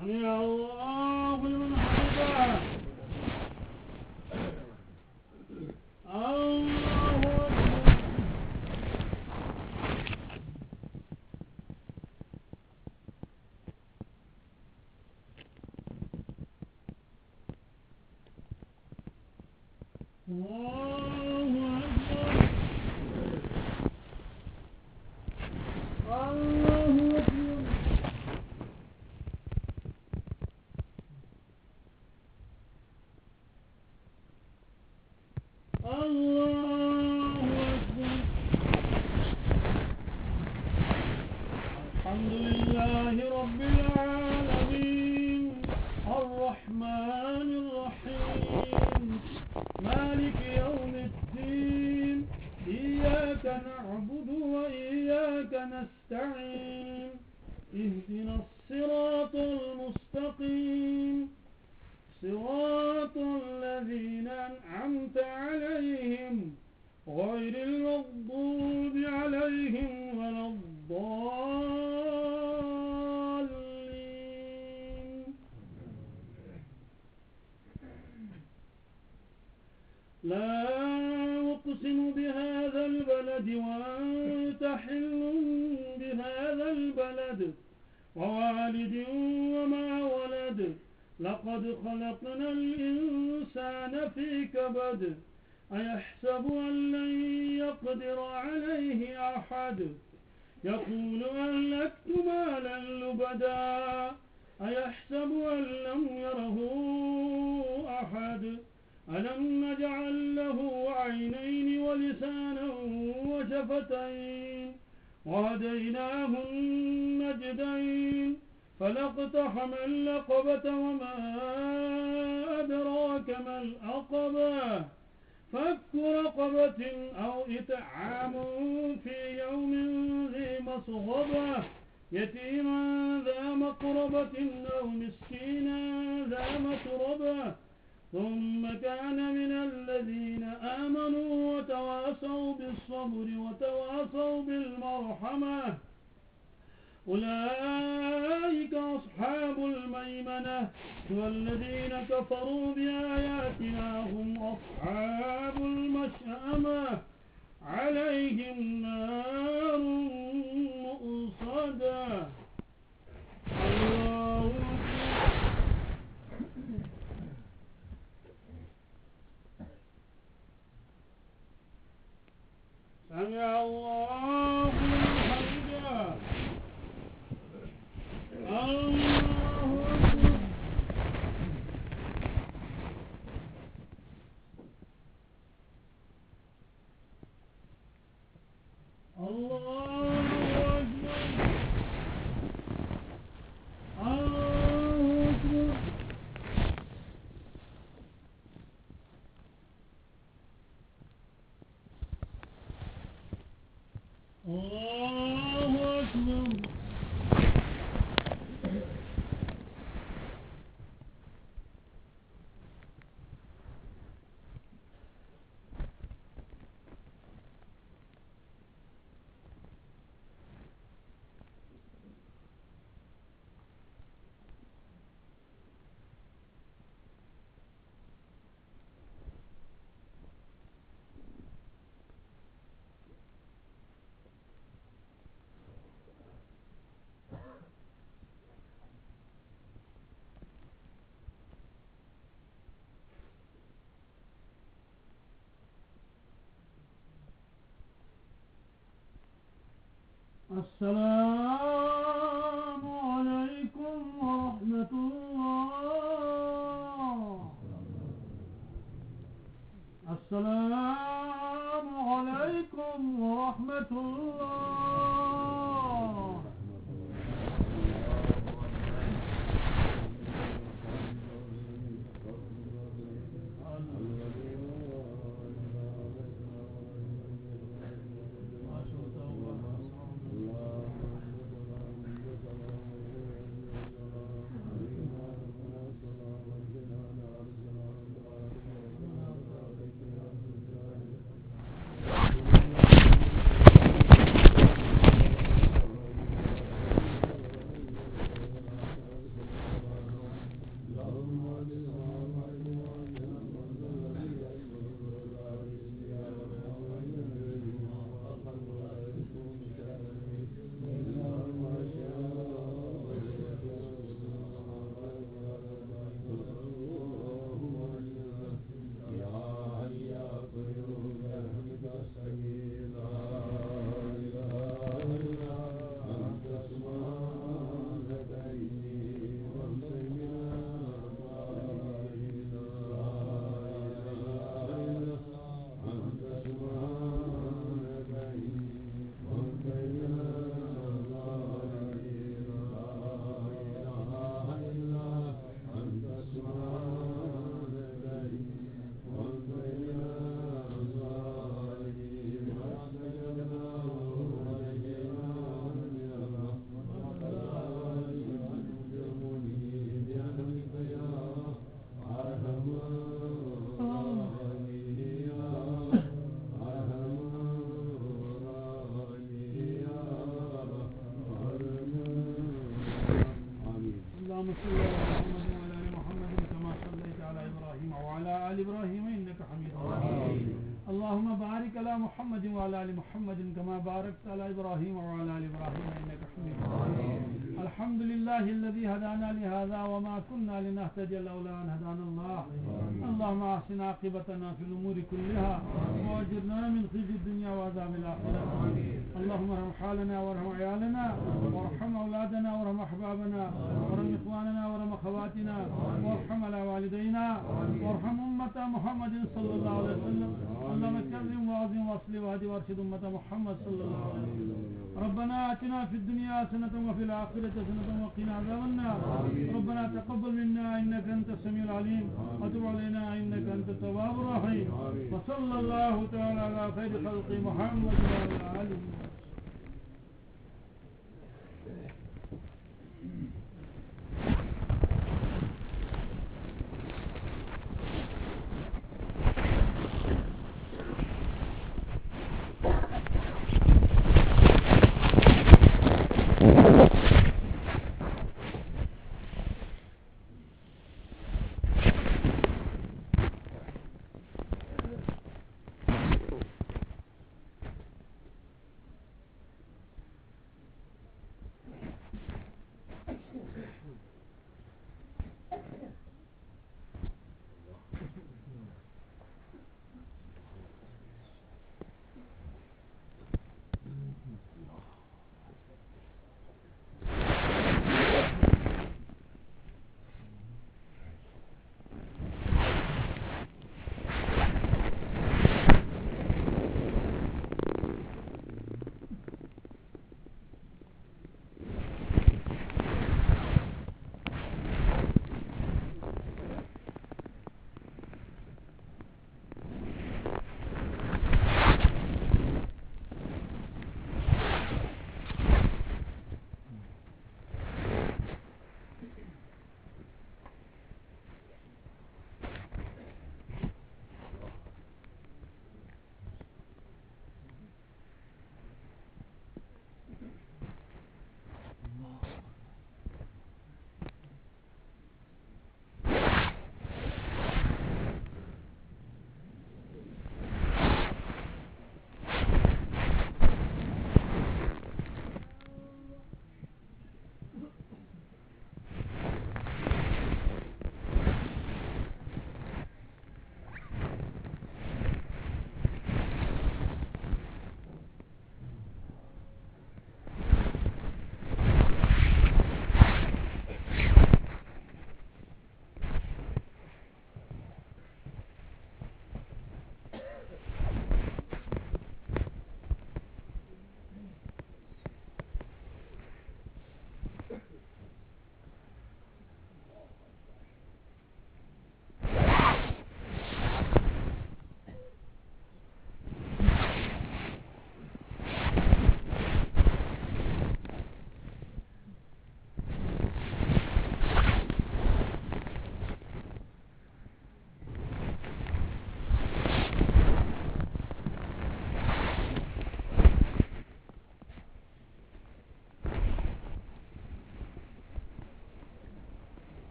سمع الله لمن حمده. الله أكبر. الله أكبر. الله أكبر. الله أكبر. الحمد لله رب العالمين، الرحمن الرحيم، مالك يوم الدين، إياك نعبد وإياك نستعين، اهدنا الصراط المستقيم، صراط الذين أنعمت عليهم غير المغضوب عليهم ولا الضالين. لا أقسم بهذا البلد وأنت حل بهذا البلد ووالد وما ولد، لقد خلقنا الإنسان في كبد، أيحسب أن لن يقدر عليه أحد، يقول أهلكت مالا لبدا، أيحسب أن لم يره أحد، ألم نجعل له عينين ولسانا وشفتين، وهديناه النجدين، فلا اقتحم العقبة وما أدراك ما العقبة، فك رقبة أو إطعام في يوم ذي مسغبة، يتيما ذا مقربة أو مسكينا ذا متربة، ثم كان من الذين آمنوا وتواصوا بالصبر وتواصوا بالمرحمة، أولئك أصحاب الميمنة، والذين كفروا بآياتنا هم أصحاب المشأمة، عليهم نار الله أكبر. السلام عليكم ورحمة الله. السلام عليكم ورحمة الله. اللهم صل على محمد وعلى آل محمد كما صليت على إبراهيم وعلى آل إبراهيم إنك حميد مجيد. اللهم بارك على محمد وعلى آل محمد كما باركت على إبراهيم وعلى آل إبراهيم إنك حميد مجيد. الحمد لله الذي هدانا لهذا وما كنا لنهتدي لولا أن هدانا الله. اللهم أحسن عاقبتنا في الأمور كلها وأجرنا من خزي الدنيا وعذاب الآخرة. اللهم ارحم حالنا وارحم عيالنا وارحم أولادنا وارحم أحبابنا وارحم إخواننا وارحم أخواتنا وارحم على والدينا وارحم أمة محمد صلى الله عليه وسلم. اللهم كرم وعظم وأصلح واهد وأرشد أمة محمد صلى الله عليه وسلم. ربنا آتنا في الدنيا حسنة وفي الآخرة حسنة وقنا عذاب النار. ربنا تقبل منا إنك أنت السميع العليم وتب علينا إنك أنت التواب الرحيم. وصلى الله تعالى على خير خلقه محمد وعلى آله وصحبه.